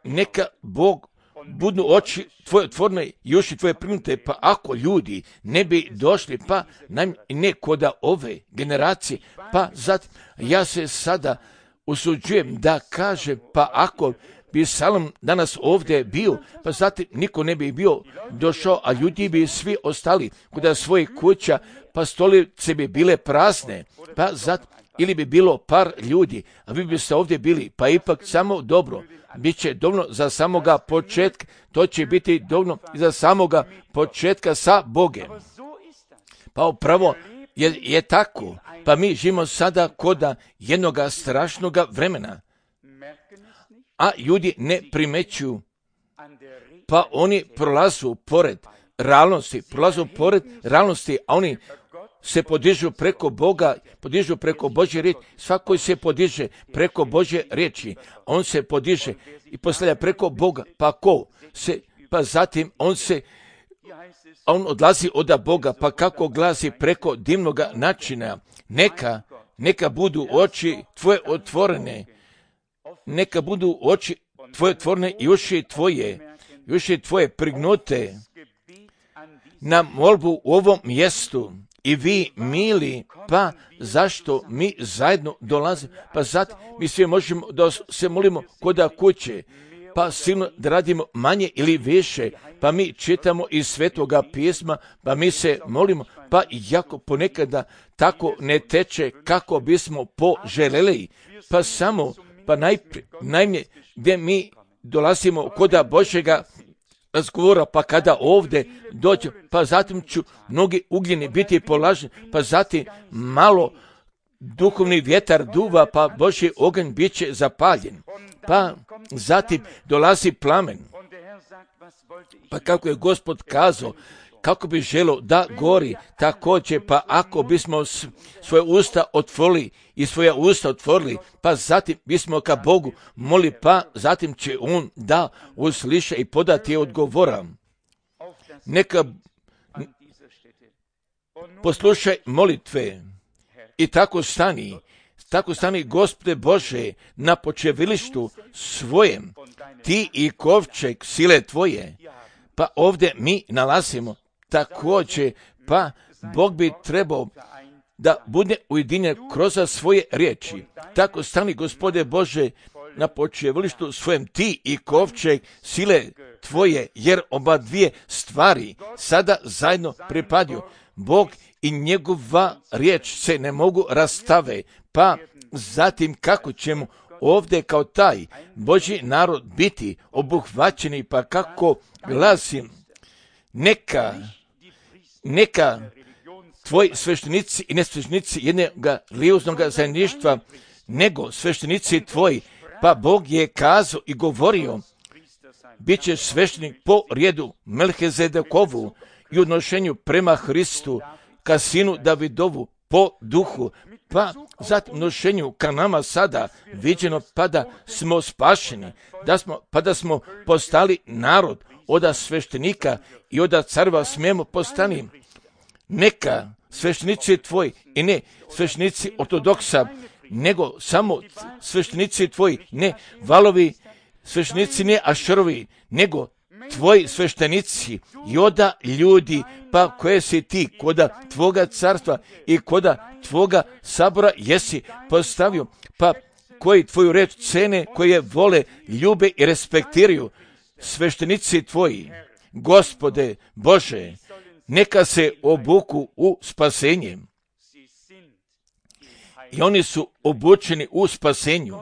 neka Bog budu oči tvoje otvorene i uši tvoje prignute, pa ako ljudi ne bi došli, pa ne koda ove generacije, pa zatim ja se sada usuđujem da kažem, pa ako bi Salom danas ovdje bio, pa zatim niko ne bi bio došao, a ljudi bi svi ostali kod svojih kuća, pa stolice bi bile prazne, pa zatim ili bi bilo par ljudi, a vi biste ovdje bili, pa ipak samo dobro. Biće dovoljno za samoga početka, to će biti dovoljno i za samoga početka sa Bogem. Pa upravo je, je tako, pa mi živimo sada koda jednoga strašnoga vremena, a ljudi ne primećuju, pa oni prolazu pored realnosti, prolazu pored realnosti, a oni se podižu preko Boga, podižu preko Božje riječi, svako se podiže preko Božje riječi, on se podiže i postavlja preko Boga, pa ko se, pa zatim on se, on odlazi od Boga, pa kako glasi preko divnoga načina, neka, neka budu oči tvoje otvorene, neka budu oči tvoje otvorene i uši tvoje, i uši tvoje prignute na molbu u ovom mjestu. I vi, mili, pa zašto mi zajedno dolazimo? Pa zato mi svi možemo da se molimo koda kuće, pa silno da radimo manje ili više, pa mi čitamo iz Svetoga pisma, pa mi se molimo, pa jako ponekada tako ne teče kako bismo poželjeli, pa samo, pa najprije, najmje gdje mi dolazimo koda Božjega razgovora, pa kada ovdje dođe, pa zatim ću mnogi ugljeni biti polaženi, pa zatim malo duhovni vjetar duva, pa Božji oganj bit će zapaljen, pa zatim dolazi plamen, pa kako je Gospod kazao, kako bi želio da gori, također, pa ako bismo svoje usta otvorili i svoja usta otvorili, pa zatim bismo ka Bogu moli, pa zatim će On da usliša i podati odgovora. Neka poslušaj molitve i tako stani, tako stani, Gospode Bože, na počevilištu svojem, ti i kovčeg sile tvoje, pa ovdje mi nalazimo također, pa Bog bi trebao da bude ujedinjen kroz svoje riječi. Tako stani, Gospode Bože, na počevilištu svojem, ti i kovčeg sile tvoje, jer oba dvije stvari sada zajedno pripadaju. Bog i njegova riječ se ne mogu rastave, pa zatim kako ćemo ovdje kao taj Božji narod biti obuhvaćeni, pa kako glasim, neka, neka tvoji sveštenici i nesveštenici jednoga religioznog zajedništva, nego sveštenici tvoji, pa Bog je kazao i govorio, bit će sveštenik po redu Melhizedekovu i odnošenju prema Hristu, ka sinu Davidovu po duhu, pa zatim nošenju ka nama sada viđeno, pa da smo spašeni, da smo, pa da smo postali narod od sveštenika i od carva smijemo postani. Neka sveštenici tvoji i ne sveštenici ortodoksa, nego samo sveštenici tvoji, ne valovi sveštenici, ne ašerovi, nego tvoji sveštenici i oda ljudi, pa koje si ti koda tvoga carstva i koda tvoga sabora jesi postavio, pa koji tvoju reč cene, koje vole, ljube i respektiraju, sveštenici tvoji, Gospode Bože, neka se obuku u spasenje. I oni su obučeni u spasenju.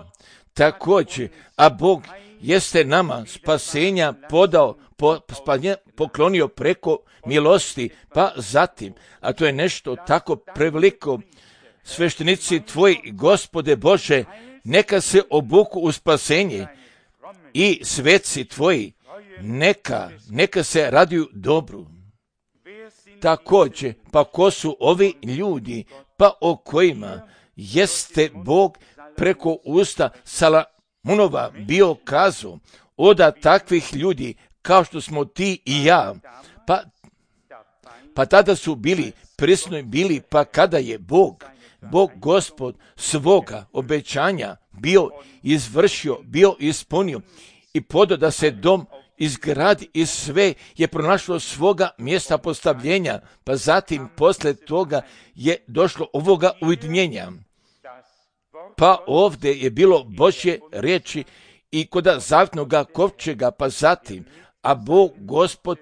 Također, a Bog jeste nama spasenja podao, po, spasenja poklonio preko milosti, pa zatim, a to je nešto tako preveliko, sveštenici tvoji, Gospode Bože, neka se obuku u spasenje i sveci tvoji, neka, neka se raduju dobru. Također, pa ko su ovi ljudi, pa o kojima jeste Bog preko usta Salamunova bio kazao, oda takvih ljudi kao što smo ti i ja, pa, pa tada su bili prisutni bili, pa kada je Bog, Bog Gospod svoga obećanja bio izvršio, bio ispunio i podao da se dom izgradi i sve je pronašlo svoga mjesta postavljenja, pa zatim posle toga je došlo ovoga ujedinjenja. Pa ovdje je bilo Božje riječi i koda zavjetnoga kovčega, pa zatim, a Bog Gospod,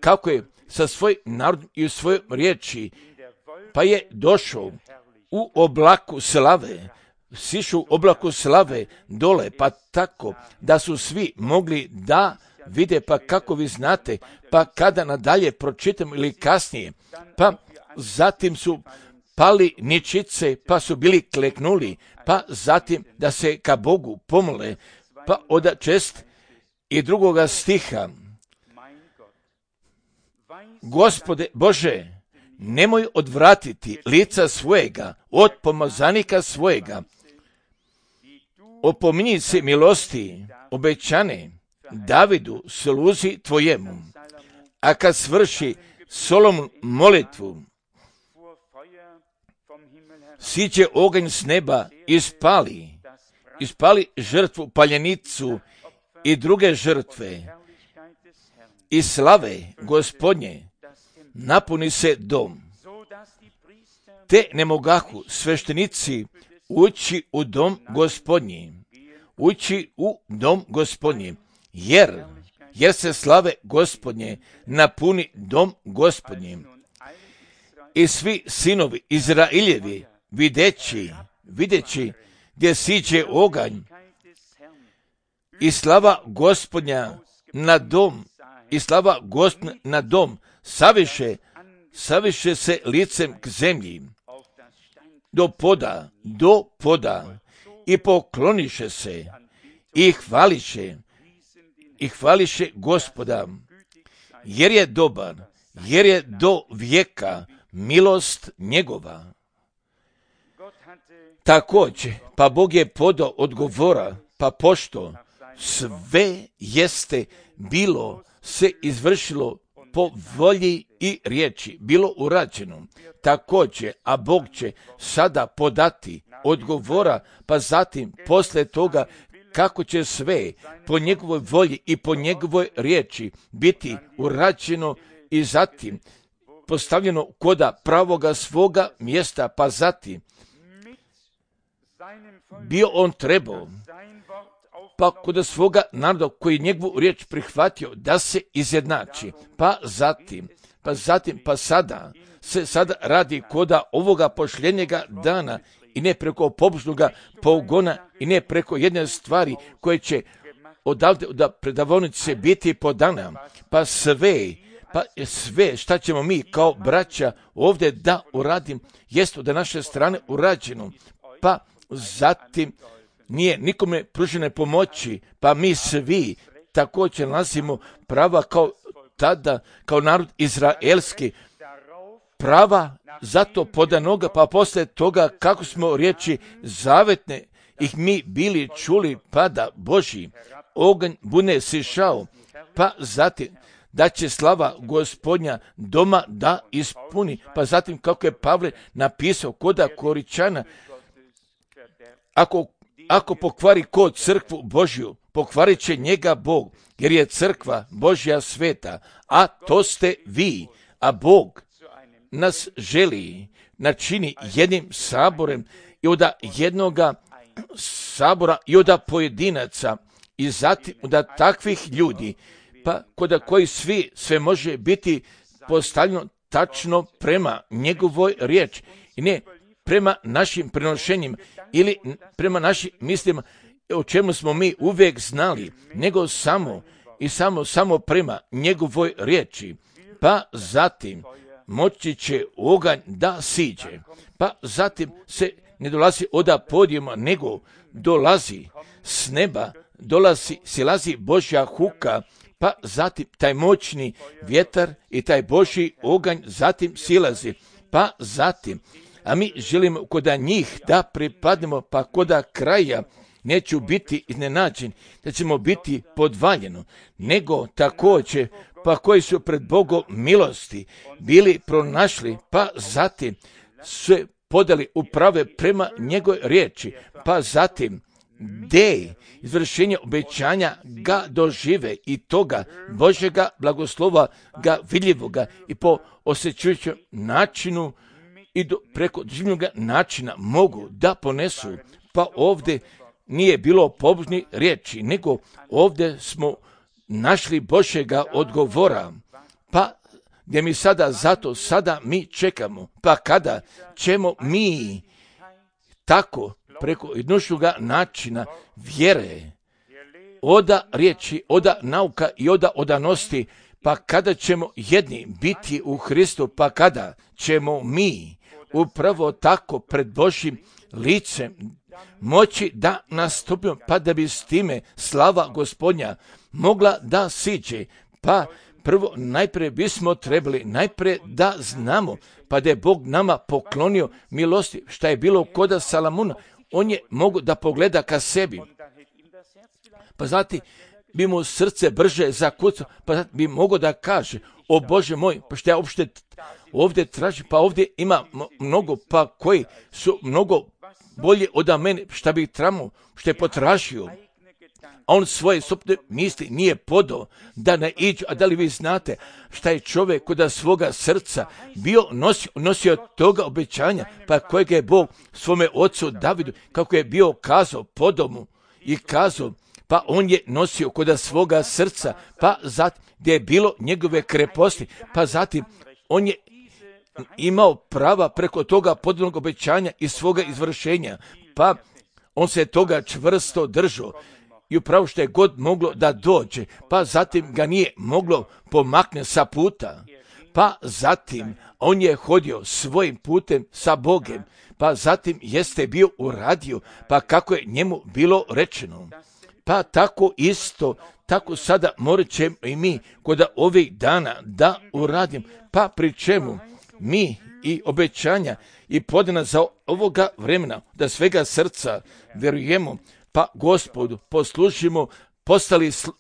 kako je sa svojim narodom i u svojoj riječi, pa je došao u oblaku slave, sišu u oblaku slave dole, pa tako da su svi mogli da vide, pa kako vi znate, pa kada nadalje pročitam ili kasnije, pa zatim su pali ničice, pa su bili kleknuli, pa zatim da se ka Bogu pomole, pa od čest i drugoga stiha. Gospode Bože, nemoj odvratiti lica svojega od pomazanika svojega. Opominji se milosti obećane Davidu sluzi tvojemu. A kad svrši Solomon molitvu, siđe oganj s neba i spali, ispali žrtvu paljenicu i druge žrtve i slave Gospodnje napuni se dom. Te ne mogahu sveštenici ući u dom Gospodnji, ući u dom Gospodnji, jer, jer se slave Gospodnje napuni dom Gospodnji. I svi sinovi Izrailjevi videći, videći gdje siđe oganj i slava Gospodnja na dom, i slava Gospodnja na dom, saviše, saviše se licem k zemlji, do poda, do poda, i pokloniše se, i hvališe, i hvališe Gospoda, jer je dobar, jer je do vijeka milost njegova. Također, pa Bog je podao odgovora, pa pošto sve jeste bilo se izvršilo po volji i riječi, bilo urađeno. Također, a Bog će sada podati odgovora, pa zatim poslije toga kako će sve po njegovoj volji i po njegovoj riječi biti urađeno i zatim postavljeno koda pravoga svoga mjesta, pa zatim bio on trebao, pa kod svoga naroda koji njegovu riječ prihvatio da se izjednači, pa zatim, pa zatim, pa sada se sada radi koda ovoga pošljenjega dana i ne preko pobožnoga pogona i ne preko jedne stvari koje će odavde da predavonice biti podana, pa sve, pa sve šta ćemo mi kao braća ovdje da uradim, jest od naše strane urađeno, pa zatim nije nikome pružene pomoći, pa mi svi također nalazimo prava kao tada, kao narod izraelski, prava zato podanoga, pa poslije toga kako smo riječi zavetne ih mi bili čuli, pada Božji, oganj bune sišao, pa zatim da će slava Gospodnja doma da ispuni, pa zatim kako je Pavle napisao koda Koričana, ako, ako pokvari ko crkvu Božju, pokvarit će njega Bog, jer je crkva Božja sveta, a to ste vi, a Bog nas želi načini jednim saborem i od jednoga sabora i od pojedinaca i zatim od takvih ljudi, pa kod koji svi sve može biti postavljeno tačno prema njegovoj riječi i ne prema našim prenošenjima ili prema našim mislima o čemu smo mi uvijek znali, nego samo i samo samo prema njegovoj riječi, pa zatim moći će oganj da siđe, pa zatim se ne dolazi od podijuma, nego dolazi s neba, dolazi, silazi Božja huka, pa zatim taj moćni vjetar i taj Božji oganj zatim silazi, pa zatim, a mi želimo koda njih da pripadnemo, pa koda kraja neću biti iznenađen da ćemo biti podvaljeno, nego također pa koji su pred Bogom milosti bili pronašli, pa zatim se podali uprave prema njegove riječi, pa zatim de izvršenje obećanja ga dožive i toga Božjega blagoslova ga vidljivoga i po osjećujućem načinu i do, preko življenog načina mogu da ponesu, pa ovdje nije bilo pobožnih riječi, nego ovdje smo našli Božjega odgovora, pa gdje mi sada zato, sada mi čekamo, pa kada ćemo mi tako preko jednošnoga načina vjere, oda riječi, oda nauka i oda odanosti, pa kada ćemo jedni biti u Hristu, pa kada ćemo mi upravo tako pred Božjim licem moći da nastupimo, pa da bi s time slava Gospodnja mogla da siđe, pa prvo najprije bismo trebali najprije da znamo, pa da je Bog nama poklonio milosti, šta je bilo koda Salamuna, on je mogu da pogleda ka sebi, pa znati bi mu srce brže zakucao, pa bi mogao da kaže, o Bože moj, pa što ja uopšte ovdje tražim, pa ovdje ima mnogo, pa koji su mnogo bolje od mene, šta bi tramo, što je potražio. A on svoje sopne misli nije podao da ne iđu, a da li vi znate šta je čovjek kod svoga srca bio nosio, nosio toga obećanja, pa kojega je Bog svome ocu Davidu, kako je bio kazao po domu i kazao, pa on je nosio kod svoga srca, pa zatim gdje je bilo njegove kreposti, pa zatim on je imao prava preko toga podanog obećanja i svoga izvršenja, pa on se toga čvrsto držao i upravo što je god moglo da dođe, pa zatim ga nije moglo pomaknuti sa puta, pa zatim on je hodio svojim putem sa Bogem, pa zatim jeste bio uradio, pa kako je njemu bilo rečeno. Pa tako isto, tako sada morat ćemo i mi kod ovih dana da uradim, pa pri čemu mi i obećanja i podana za ovoga vremena, da svega srca vjerujemo, pa Gospodu poslužimo, postali sl-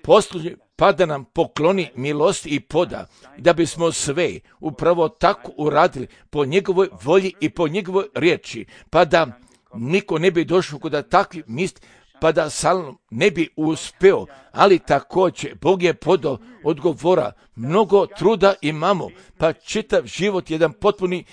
poslužni, pa da nam pokloni milost i poda, da bismo sve upravo tako uradili po njegovoj volji i po njegovoj riječi, pa da niko ne bi došao kod takvih misli, pa da Salom ne bi uspeo, ali također Bog je podao odgovora, mnogo truda imamo, pa čitav život jedan potpuni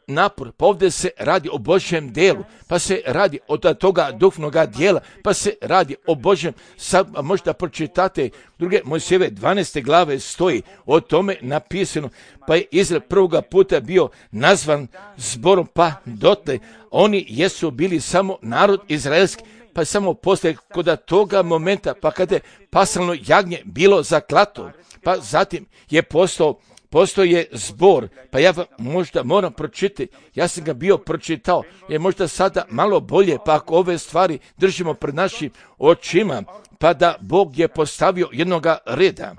napor, pa ovdje se radi o Božjem delu, pa se radi od toga duhovnoga dijela, pa se radi o Božjem, sad možda pročitate druge Mojsijeve dvanaeste glave stoji o tome napisano, pa je Izrael prvoga puta bio nazvan zborom, pa dotle oni jesu bili samo narod izraelski, pa samo poslije kod toga momenta, pa kada je pasalno jagnje bilo zaklato, pa zatim je postao Postoje zbor, pa ja vam možda moram pročitati, ja sam ga bio pročitao, je možda sada malo bolje, pa ako ove stvari držimo pred našim očima, pa da Bog je postavio jednoga reda.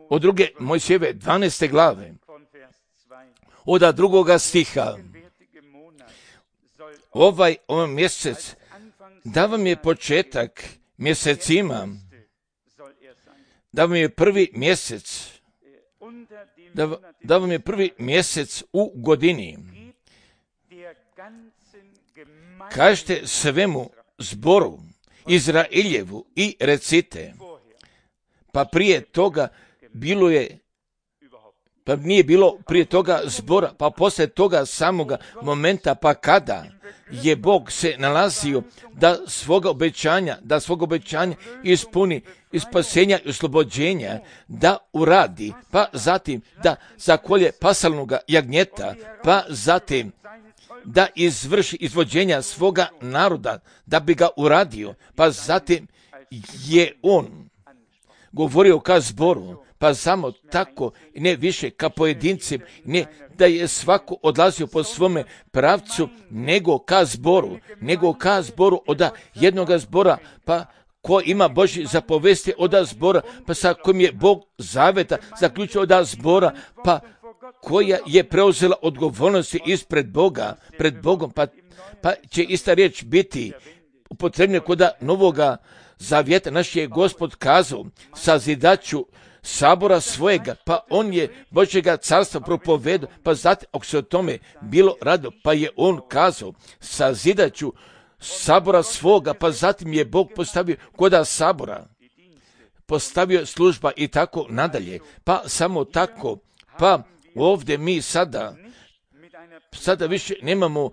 Od druge Mojsijeve dvanaeste glave, od drugoga stiha, ovaj, ovaj mjesec, da vam je početak mjesecima, da vam je prvi mjesec, Da, da vam je prvi mjesec u godini. Kažete svemu zboru Izraeljevu i recite, pa prije toga bilo je, pa nije bilo prije toga zbora, pa poslije toga samoga momenta, pa kada je Bog se nalazio da svoga obećanja, da svoga obećanja ispuni i spasenja i oslobođenja, da uradi, pa zatim da zakolje pasalnoga jagnjeta, pa zatim da izvrši izvođenja svoga naroda, da bi ga uradio, pa zatim je on govorio ka zboru, pa samo tako, ne više ka pojedincima, ne da je svako odlazio po svome pravcu, nego ka zboru, nego ka zboru od jednoga zbora, pa ko ima Božji zapovesti od zbora, pa sa kojim je Bog zaveta zaključio od zbora, pa koja je preuzela odgovornosti ispred Boga, pred Bogom, pa, pa će ista riječ biti upotrebna kod novoga zavjeta. Naš je Gospod kazao, sazidaću sabora svojega, pa on je Božjega carstva propovedao, pa zatim, ako se o tome bilo rado, pa je on kazao, sazidaću sabora svoga, pa zatim je Bog postavio koda sabora, postavio služba i tako nadalje, pa samo tako, pa ovdje mi sada, sada više nemamo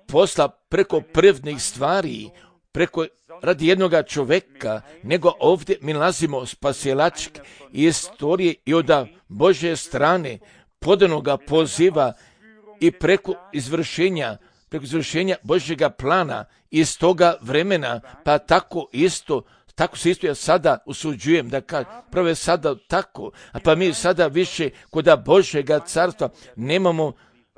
posla preko prvnih stvari, preko radi jednoga čovjeka, nego ovdje mi nalazimo spasilačke istorije i od Božje strane podanoga poziva i preko izvršenja preko izvršenja Božjega plana iz toga vremena, pa tako isto, tako se isto ja sada usuđujem da kažem, prvo je sada tako, a pa mi sada više koda Božjega carstva nemamo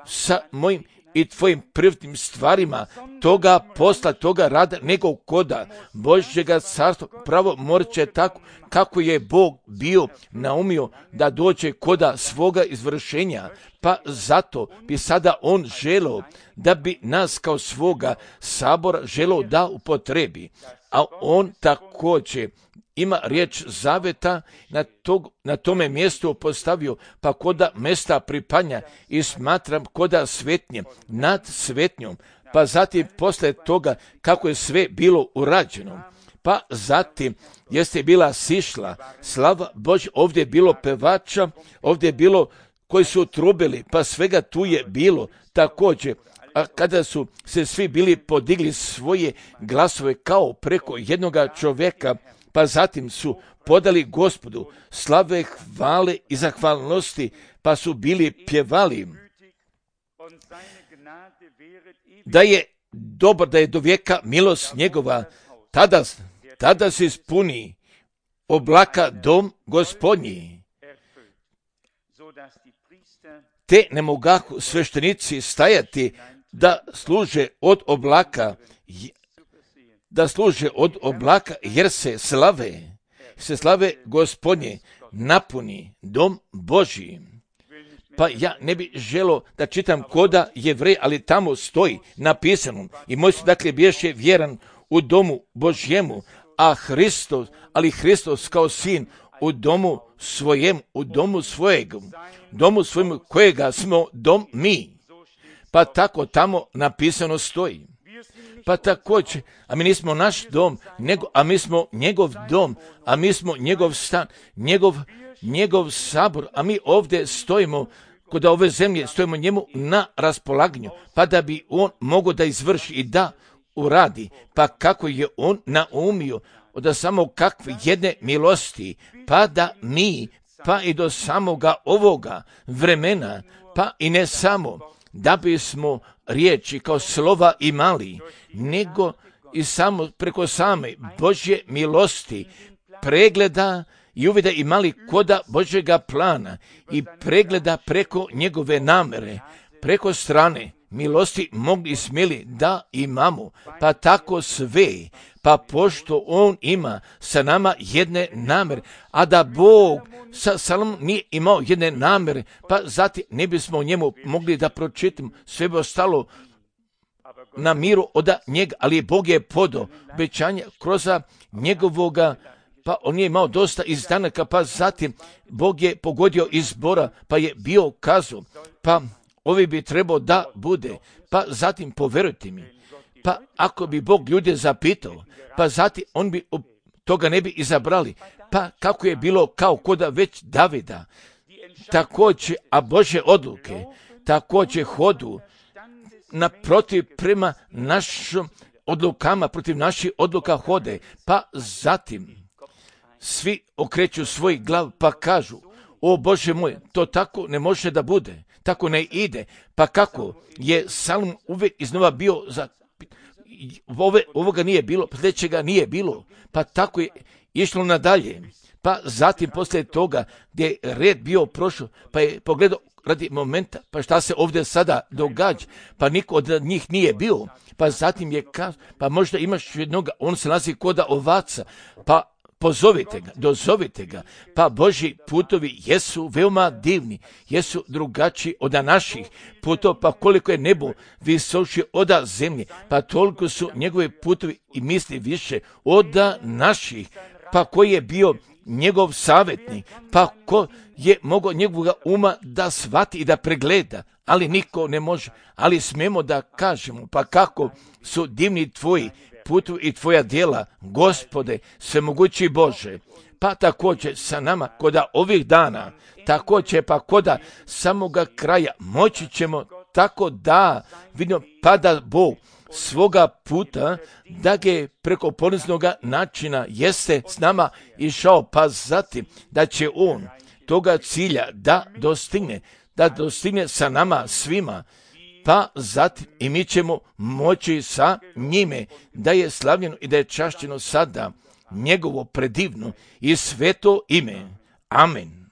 sa mojim i tvojim privatnim stvarima toga posla, toga rada, nego koda Božjega carstva. Pravo morat će tako kako je Bog bio naumio da dođe koda svoga izvršenja, pa zato bi sada on želeo da bi nas kao svoga sabora želeo da upotrebi, a on također ima riječ zaveta na, tog, na tome mjestu postavio, pa koda mjesta pripanja i smatram koda svetnje nad svetnjom, pa zatim posle toga kako je sve bilo urađeno, pa zatim jeste bila sišla slava Božja, ovdje je bilo pevača, ovdje je bilo koji su trubili, pa svega tu je bilo također. A kada su se svi bili podigli svoje glasove kao preko jednoga čovjeka, pa zatim su podali Gospodu slave, hvale i zahvalnosti, pa su bili pjevali da je dobro, da je do vijeka milost njegova, tada, tada se ispuni oblaka dom Gospodnji. Te ne mogahu sveštenici stajati da služe od oblaka, da služe od oblaka, jer se slave, se slave Gospodnje napuni dom Božji. Pa ja ne bih želio da čitam koda Jevrej, ali tamo stoji napisano i moj su dakle bješe vjeran u domu Božjemu, a Hristos, ali Hristos kao sin u domu svojem, u domu svojeg, domu svojemu kojega smo dom mi. Pa tako tamo napisano stoji. Pa također, a mi nismo naš dom, nego, a mi smo njegov dom, a mi smo njegov stan, njegov, njegov sabor, a mi ovdje stojimo kod ove zemlje, stojimo njemu na raspolaganju, pa da bi on mogao da izvrši i da uradi, pa kako je on naumio, od samo kakve jedne milosti, pa da mi, pa i do samoga ovoga vremena, pa i ne samo, da bismo riječi kao slova imali, nego i samo preko same Božje milosti, pregleda i uvida imali koda Božjega plana i pregleda preko njegove namere, preko strane milosti mogli i smjeli da imamo, pa tako sve, pa pošto on ima sa nama jedne namere, a da Bog sa Salomom nije imao jedne namere, pa zatim ne bismo njemu mogli da pročitamo, sve bi ostalo na miru od njega, ali Bog je podao obećanje kroz njegovoga, pa on je imao dosta izdanaka, pa zatim Bog je pogodio izbora, pa je bio kazao, pa ovi bi trebao da bude, pa zatim poverujte mi, pa ako bi Bog ljude zapitao, pa zatim on bi toga ne bi izabrali, pa kako je bilo kao koda već Davida, također, a Božje odluke, također hodu naprotiv prema našim odlukama, protiv naših odluka hode, pa zatim svi okreću svoj glav pa kažu, o Bože moj, to tako ne može da bude, tako ne ide, pa kako je Salom uvijek iznova bio za Ove, ovoga nije bilo, sljedećega nije bilo, pa tako je išlo nadalje. Pa zatim poslije toga gdje je red bio prošao, pa je pogledao radi momenta, pa šta se ovdje sada događa, pa niko od njih nije bio, pa zatim je kazao, pa možda imaš jednoga, on se nalazi koda ovaca, pa pozovite ga, dozovite ga, pa Božji putovi jesu veoma divni, jesu drugačiji od naših putova, pa koliko je nebo visoši od zemlje, pa toliko su njegove putovi i misli više od naših, pa koji je bio njegov savjetnik, pa ko je mogao njegovoga uma da shvati i da pregleda, ali niko ne može, ali smemo da kažemo, pa kako su divni tvoji putu i tvoja djela, Gospode, svemogući Bože, pa također sa nama koda ovih dana, također pa koda samoga kraja, moći ćemo tako da vidimo pa da Bog svoga puta, da ga preko poniznoga načina jeste s nama išao, pa zatim da će on toga cilja da dostigne, da dostigne sa nama svima, pa zatim i mi ćemo moći sa njime da je slavljeno i da je čašćeno sada njegovo predivno i sveto ime. Amen.